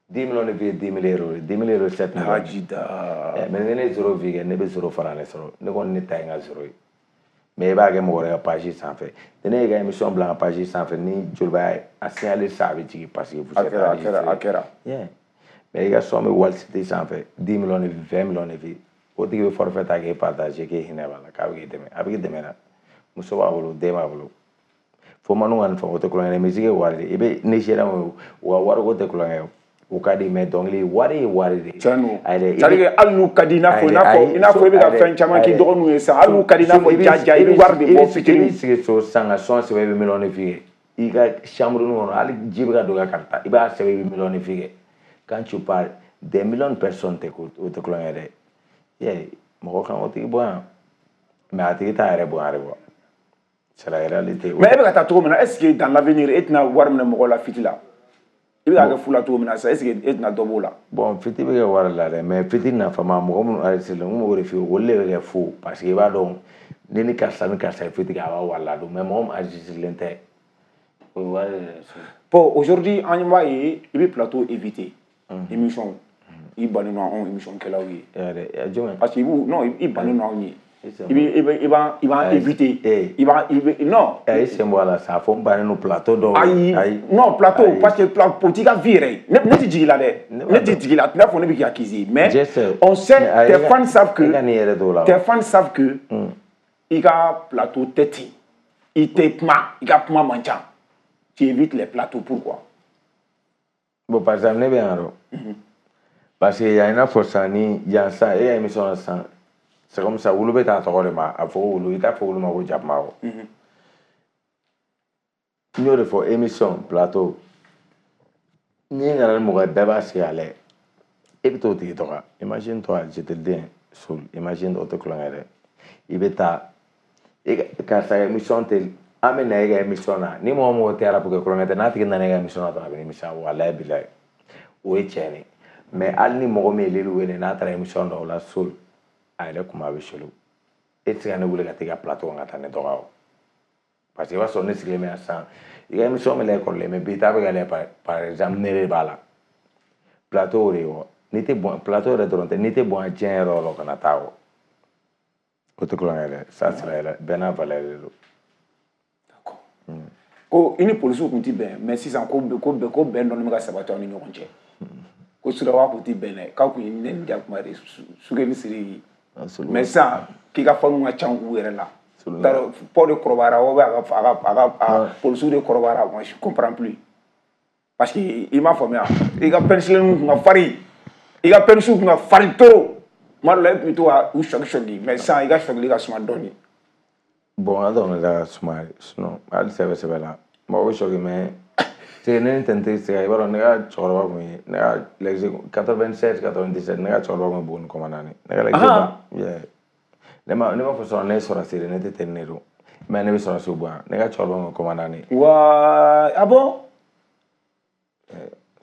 10 millions de vues ye 10 000 euros 10 000 euros 7 millions. Hajida. Mais ni ne ye zéro vue kɛ ne bɛ zéro fara ne sɔrɔ ne kɔni ne ta ye n ka zéro ye. Mais i b'a kɛ mɔgɔ wɛrɛ ka page sanfɛ ni ne y'i ka émission bila n ka page sanfɛ ni Joliba a signaler sisan a bɛ jigin parce que vous êtes enregistré. A kɛra. Mais i ka son bɛ wali site sanfɛ 10 millions de vues 20 millions de vues o tigi bɛ forfait ta k'e partager k'e hinɛ b'a la k'a bɛ k'e dɛmɛ a bɛ k'i dɛmɛ dɛ muso b'a bolo den b'a bolo fo manu ka nin fɔ o tɛ kulonkɛ ye musique ye wari de i bɛ Nigérian o u ka wariko tɛ kulonkɛ ye o ka di mais dɔnkili wari ye wari de. Tiɲɛ don c'est à dire que hali n'u ka di i n'a fɔ i bɛ ka fɛn caman k'i dɔgɔninw ye sisan hali n'u ka di i n'a fɔ jaja i bɛ wari de bɔ fitinin. I b'i sigi so sisan ka son sɛbɛn i bɛ million de vues kɛ i ka chambre kɔnɔ hali ji bɛ ka don i ka karita i b'a sɛbɛn i bɛ million de vues kɛ quand tu parles des millions de personnes tɛ o tɛ kulonkɛ dɛ mɔgɔ kan k'o tigi bonya mais a tigi t'a yɛrɛ bonya de quoi c'est la réalité. Mais e bɛ ka taa cogo min na est ce que dans l'avenir e tɛna wari minɛ mɔgɔw la fiti la. I bɛ k'a kɛ fu la cogo min na sisan est ce que e tɛna dɔ b'o la. Bon fiti bɛ kɛ wari la dɛ mais fiti nafama mɔgɔ minnu enregistré n kun b'o de f'i ye olu de bɛ kɛ fu parce que i b'a dɔn ne ni karisa ye fiti kɛ a b'a wari ladon mais mɔgɔ min enregistré tɛ o ye wari de. Bon aujourd'hui an b'a ye i bɛ plateau éviter émission i bannen don anw émission kɛlaw ye. Jumɛn. Parce que i b'u non i bannen don anw ye. I b'an éviter. I bɛ non. I sen bɔ a la sa fo n bannen don plateau dɔw. Ayi non plateau parce que o t'i ka vie yɛrɛ ye ne tɛ jigin i la dɛ ne tɛ jigin i la a t'i n'a fɔ ne bɛ k'i accuser mais on sait tes fans savent que tes fans savent que i ka plateau tɛ ten i tɛ kuma i ka kuma man ca tu évites les plateaux pourquoi. Bon par exemple ne bɛ yan dɔn parce que yan i n'a fɔ sisan ni yan sisan e ka émission na sisan. C'est comme ça, wulu bɛ taa tɔgɔ de ma a fɔ ko wulu i t'a fɔ wulu ma ko jakuma o. N y'o de fɔ émission plateau n'i nana ni mɔgɔ ye bɛɛ b'a sigi a lajɛ e bɛ t'o tigi dɔgɔya. Imagine toi, je te le dis, Soul, imagine o tɛ kulonkɛ dɛ. I bɛ taa e karisa ka émission tɛ an bɛ na e ka émission na ni mɔgɔ mɔgɔ tɛ rap kɛ kulonkɛ tɛ n'a tigi nana e ka émission na dɔrɔn a bɛ nimisa walayi bilayi o ye tiɲɛ de. Mais hali ni mɔgɔ min ye Lil wele n'a taara émission dɔw la Soul a yɛrɛ kuma bɛ solo e tɛ se ka ne wele ka taa i ka plateau kan ka taa ne dɔgɔya o. Parce que i b'a sɔrɔ ne sigilen bɛ yan sisan i ka émission bɛ lajɛ kɔrɔlen mais bi ta bɛ ka lajɛ par exemple ne de b'a la plateau o de ye wa n'i tɛ bɔn plateau yɛrɛ dɔrɔn tɛ n'i tɛ bɔn diɲɛ yɔrɔ o yɔrɔ kana taa o o tɛ kulonkɛ dɛ ça c'est la bɛɛ n'a valeur de don. D'accord. Ko i ni polisiw tun tɛ bɛn mais sisan ko bɛn dɔɔnin bɛ ka sabati aw ni ɲɔgɔn cɛ. Ko suraka kun tɛ bɛn dɛ k'aw kun ye ne ni jakuma de Suke ni Sidiki mais sisan k'i ka fanu ka ca u yɛrɛ la. Pɔ de kɔrɔbayara ou bien a ka polisiw de kɔrɔbayara moi je comprends plus parce que i m'a faamuya i ka penicilline kun ka farin i ka penicilline kun ka farin trop tuma dɔ la e tun bɛ to ka u sɔgi mais sisan i ka sɔgili ka suma dɔɔnin. Bon an dɔrɔn de ka suma sinon hali sɛbɛ sɛbɛ la mɔgɔ bɛ sɔgi mais c'est ne ni tɛntɛ se ka i b'a dɔn ne ka cɛkɔrɔba kun ye ne ka l'exe 96 97 ne ka cɛkɔrɔba kun ye Buguni commandant ne ka l'exe ba ne ma fɔ sɔrɔ ne ye sɔrɔsi de ne tɛ tɛni ne don mais ne bɛ sɔrɔsiw bonya ne ka cɛkɔrɔba kun ye commandant de. Wa ah bon.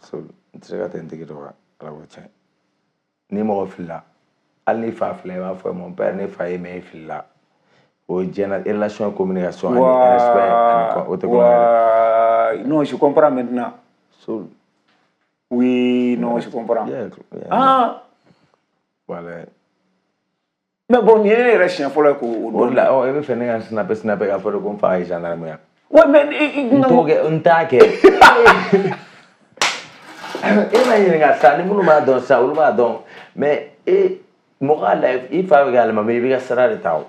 So n tɛ se ka tɛntigi dɔgɔya ala ko tiɲɛ ni mɔgɔ filila hali ni fa filila i b'a fɔ mon père ne fa ye mais e filila o ye diɲɛ relation communication ani respect ani o tɛ kulonkɛ. Non, je comprends maintenant. So, oui, non, je comprends. Yeah, ah. Voilà. Mais bon, il y a un chien fɔlɔ k'o dɔn. O la, e bɛ fɛ ne ka snapper k'a fɔ de ko n fa ye gendarme ya. Ouais, mais n t'o kɛ, n t'a kɛ. E ma ɲininka sa, ni minnu b'a dɔn sa, olu b'a dɔn. Mais e mɔgɔ ka lajɛ, i fa bɛ kɛ alimami i bɛ ka sira de ta o.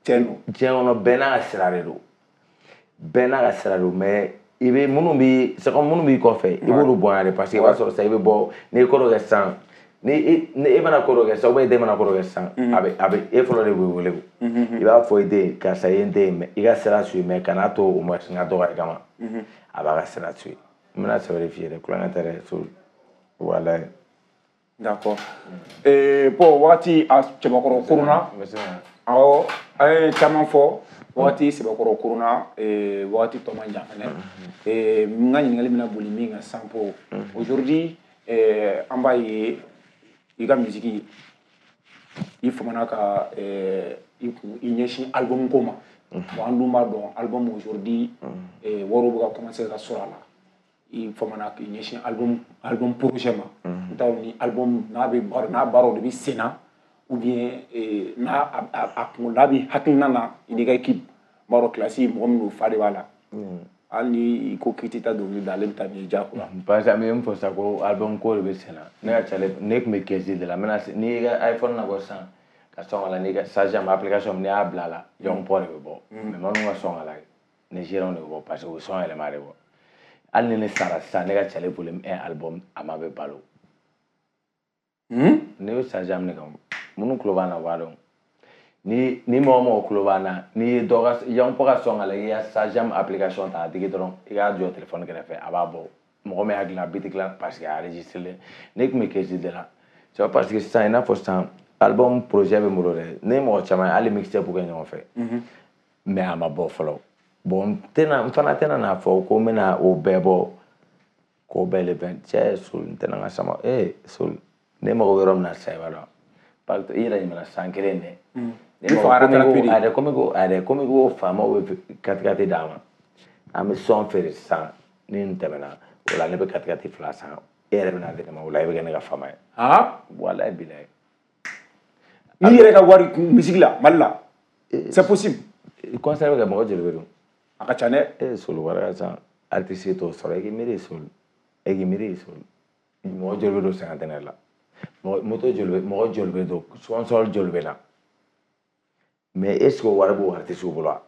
Tiɲɛ don. Diɲɛ kɔnɔ bɛɛ n'a ka sira de don. Bɛɛ n'a ka sira don, mais i bɛ minnu b'i c'est comme minnu b'i kɔfɛ i b'olu bonya de parce que i b'a sɔrɔ sisan i bɛ bɔ n'i ye ko dɔ kɛ sisan ni e mana ko dɔ kɛ sisan ou bien e den mana ko dɔ kɛ sisan a bɛ e fɔlɔ de bɛ wele o i b'a fɔ i den karisa ye n den mais i ka sira suit mais kana to o ma n ka dɔgɔya kama a b'a ka sira suit n bɛna sɛbɛn de f'i ye dɛ kulonkɛ tɛ dɛ so walayi. D'accord. Bon wagati a cɛbakɔrɔ koronna awɔ an ye caman fɔ wagati sɛbɛkɔrɔ koronna wagati tɔ man jan fɛnɛ n ka ɲininkali bɛna boli min kan sisan po aujourd'hui an b'a ye i ka musique i famana ka i ɲɛsin album ko ma bon an dun b'a dɔn album aujourd'hui wariw bɛ ka commencer ka sɔrɔ a la i famana k'i ɲɛsin album projet ma n t'a dɔn ni album n'a bɛ baara n'a baaraw de bɛ sen na ou bien n'a a kun n'a bɛ hakilina na i n'i ka équipe n b'a dɔn kilasi mɔgɔ min don fa de b'a la hali ni i ko k'i tɛ taa dɔnkili da ale bɛ taa n'i ye diyagoya. Parce que an bɛ min fɔ sisan ko album ko de bɛ sen na ne ka cale ne tun bɛ kɛsi de la n bɛna n'i y'i ka iPhone nabɔ sisan ka sɔn ka la n'i ka Shazam application n'i y'a bila a la Young Pɔ de bɛ bɔ mais minnu ka sɔn ka la Nigériens de bɛ bɔ parce que u bɛ sɔn yɛlɛma de bɔ hali ni ne sara sisan ne ka cale volume 1 album a ma bɛ balo. Ne bɛ Shazam de kan minnu tulo b'an na u b'a dɔn ni mɔgɔ mɔgɔ tulo b'an na n'i ye dɔ ka Young Pɔ ka sɔn ka la i ka Shazam application ta a digi dɔrɔn i k'a jɔ téléphone kɛrɛfɛ a b'a bɔ mɔgɔ min y'a dilan a biti dilan parce que a enregistré ne tun bɛ kɛsi de la c'est parce que sisan i n'a fɔ sisan album projet bɛ n bolo dɛ ne mɔgɔ caman ye hali mixtape kɛ ɲɔgɔn fɛ mais a ma bɔ fɔlɔ bon n tɛna n fana tɛna n'a fɔ ko n bɛna o bɛɛ bɔ k'o bɛɛ le bɛn cɛ Soul n tɛna n ka sama Soul ne mago bɛ yɔrɔ min na sisan i b'a dɔn parce que i yɛrɛ ɲuman san kelen dɛ. Ne komi ko a yɛrɛ komi ko faamaw bɛ katikati d'a ma an bɛ sɔn feere sisan ni n tɛmɛna o la ne bɛ katikati 2 san e yɛrɛ bɛna di ne ma o la e bɛ kɛ ne ka faama ye. Walayi bilayi. N'i yɛrɛ ka wari misigi la Mali la c'est possible. Concert bɛ kɛ mɔgɔ joli bɛ don. A ka ca dɛ. Soul wari ka ca artiste t'o sɔrɔ e k'i miiri Soul e k'i miiri Soul mɔgɔ joli bɛ don cinquantenaire la. Moto joli bɛ mɔgɔ joli bɛ don sponsor joli bɛ na mais est ce que o wari b'o artiste bolo wa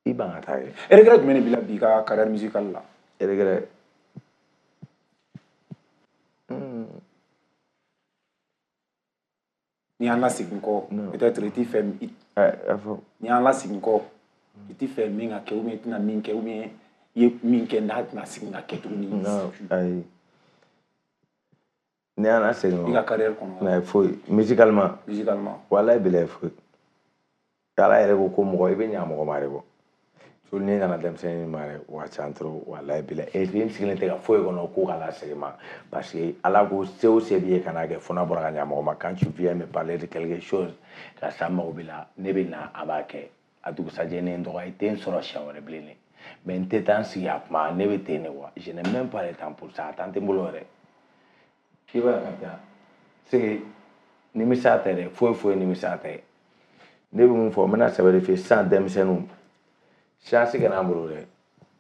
i ban ka taa ye. Regret jumɛn de b'i la bi ka carrière musicale la. Regret Ni y'an lasegin kɔ peut-être i t'i fɛ a fɔ ni y'an lasegin kɔ I t'i fɛ min ka kɛ ou bien i tɛna min kɛ ou bien i ye min kɛ n'a tɛna segin ka kɛ tuguni? Non, ayi. Ne y'an segin i ka carrière kɔnɔ. Mais foyi musicalement. Musicalement. Walayi bilayi, foyi. Ala yɛrɛ ko mɔgɔ i bɛ ɲa mɔgɔ ma de kɔ. So ne nana denmisɛnnin ma dɛ, wa ca trop, walayi bilayi. Et puis n sigilen tɛ ka foyi kɔnɔ ko ka lasegin ma, parce que Ala ko se o se b'i ye kana kɛ fo n'a bɔra ka ɲa mɔgɔ ma. Quand tu viens me parler de quelque chose, karisa n mago b'i la, ne bɛ na, a b'a kɛ. A dugusajɛ ne ye n dɔgɔya, i tɛ n sɔrɔ siɲɛ wɛrɛ bilen dɛ. Mais n tɛ taa n sigi a kuma, ne bɛ ten de quoi. Je n'ai même pas le temps pour ça, a temps tɛ n bolo yɛrɛ. I b'a ye ka taa c'est que nimisa tɛ dɛ, foyi foyi nimisa tɛ. Ne bɛ mun fɔ, n bɛna sɛbɛ de f'i ye sisan, denmisɛnninw, chance kana an bolo dɛ.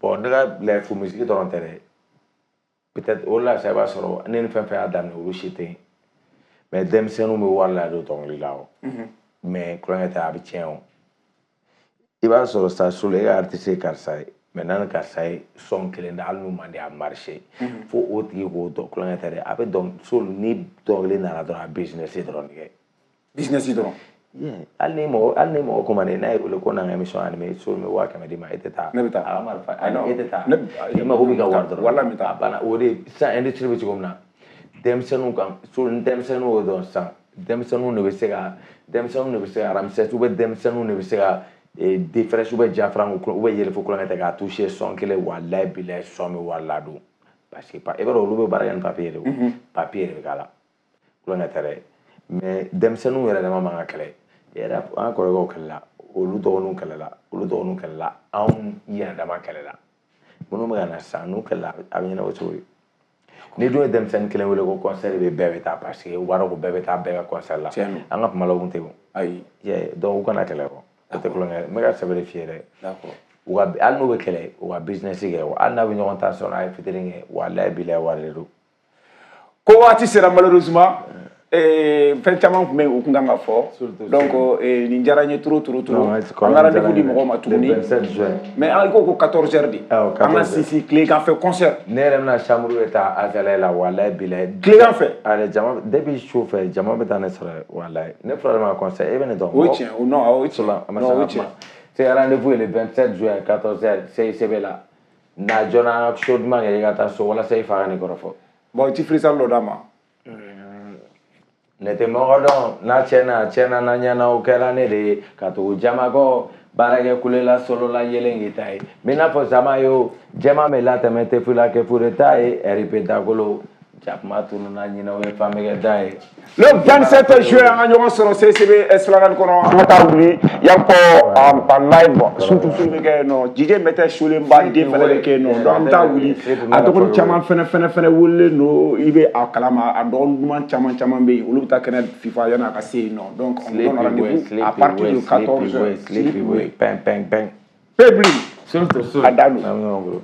Bon, ne ka life musique dɔrɔn tɛ dɛ, peut-être o de la sa i b'a sɔrɔ ne ni fɛn fɛn y'a daminɛ, olu si tɛ yen. Mais denmisɛnninw bɛ wari ladon dɔnkili la o, mais kulonkɛ tɛ, a bɛ tiɲɛ o. I b'a sɔrɔ sa solo e ka artiste ye karisa ye, mais n'a ni karisa ye son kelen da, hali n'u man di a marché, fo o tigi k'o dɔn. Kulonkɛ tɛ dɛ, a bɛ dɔn solo ni dɔnkili nana dɔrɔn, a business dɔrɔn de kɛ. Business dɔrɔn. Yeah. Hali ni mɔgɔ commandé n'a ye wele ko n'an ka émission animé, so bɛ 100 000 d'i ma, e tɛ taa. Ne bɛ taa. A ka marifa. Ah, non. E tɛ taa. Ne I mago b'i ka wari dɔrɔn. Wala n bɛ taa. A banna. O de sisan industrie bɛ cogo min na, denmisɛnninw kan so, ni denmisɛnninw y'o dɔn sisan, denmisɛnninw de bɛ se ka Ramsès ou bien denmisɛnninw de bɛ se ka Defresh ou bien Jafranco ou bien Yɛlɛfo kulonkɛ tɛ k'a toucher son kelen, walayi bilayi, son bɛ wari ladon, parce que i b'a dɔn olu bɛ baara kɛ ni papier de ye o, papier de bɛ k'a la, kulonkɛ tɛ dɛ. Mais denmisɛnninw yɛrɛ dama man ka kɛlɛ yɛrɛ. An kɔrɔkɛw kɛlɛla, olu dɔgɔninw kɛlɛla, olu dɔgɔninw kɛlɛla, anw yɛrɛ dama kɛlɛla. Minnu bɛ ka na sisan, n'u kɛlɛla, a bɛ ɲɛnabɔ cogo di? Ni dun ye denmisɛnnin kelen wele ko concert bɛ, bɛɛ bɛ taa, parce que u b'a dɔn ko bɛɛ bɛ taa bɛɛ ka concert la. Tiɲɛ don. An ka kuma la, o kun tɛ o. Ayi. Yeah, donc u kana kɛlɛ kɔ, o tɛ kulonkɛ ye. N bɛ ka sɛbɛ de f'i ye dɛ. D'accord. U ka hali n'u bɛ kɛlɛ, u ka business kɛ, hali n'a bɛ ɲɔgɔn ta sɔn, a ye fitinin kɛ, walayi bilayi, wari de don. Ko waati sera malheureusement, fɛn caman tun bɛ yen o kun kan ka fɔ. Surtout, donc nin diyara n ye trop trop trop. Non, An ka rendez-vous di mɔgɔw ma tuguni. Le 27 juin. Mais an ko ko 14 heures de. Awɔ, An ka 14 heures. sinsin tilegan fɛ concert. Ne yɛrɛ bɛna chambre de ta Azalaï la, walayi bilayi. Tilegan fɛ. Ale jama depuis su fɛ, jama bɛ taa ne sɔrɔ yen, walayi. Ne fɔra ma concert, e bɛ ne dɔn. O ye tiɲɛ o, non, o ye tiɲɛ. A ma Non, o ye se ka tiɲɛ. kuma. C'est rendez-vous est le 27 juin 14 heures CICB la. Na joona, an ka show duman kɛ, i ka taa so walasa i fa ka ne kɔrɔfɔ. Bon, i ti freestyle dɔ d'a ma. Ne tɛ mɔgɔ dɔn n'a tiɲɛna, tiɲɛna n'a ɲɛna, o kɛra ne de ye ka tugu jama kɔ, baarakɛ kulela solo la yelen k'i ta ye. N bɛ n'a fɔ sama ye o, jɛman bɛ latɛmɛ tɛ fila kɛ fure ta ye, RIP dakolo jakuma tununa ɲinɛ, o ye fan bɛ kɛ da ye. Le 27 juin, an ka ɲɔgɔn sɔrɔ CCB Esplanade kɔnɔ, an ka taa wuli yan kɔ en live, surtout su bɛ kɛ yen nɔ, DJ Mɛtɛ Solenba den fɛnɛ bɛ kɛ yen nɔ. Donc an bɛ taa wuli, a dɔgɔnin caman fɛnɛ welelen don, i bɛ a kalama, a dɔgɔnin duman caman caman bɛ yen, olu bɛ taa kɛnɛ FIFA yanni a ka se yen nɔ. Donc on donne rendez-vous à partir de 14 heures. Sleepy way, pɛn pɛn pɛn. Pebli. Surtout A dan don. An bɛ ɲɔgɔn bolo.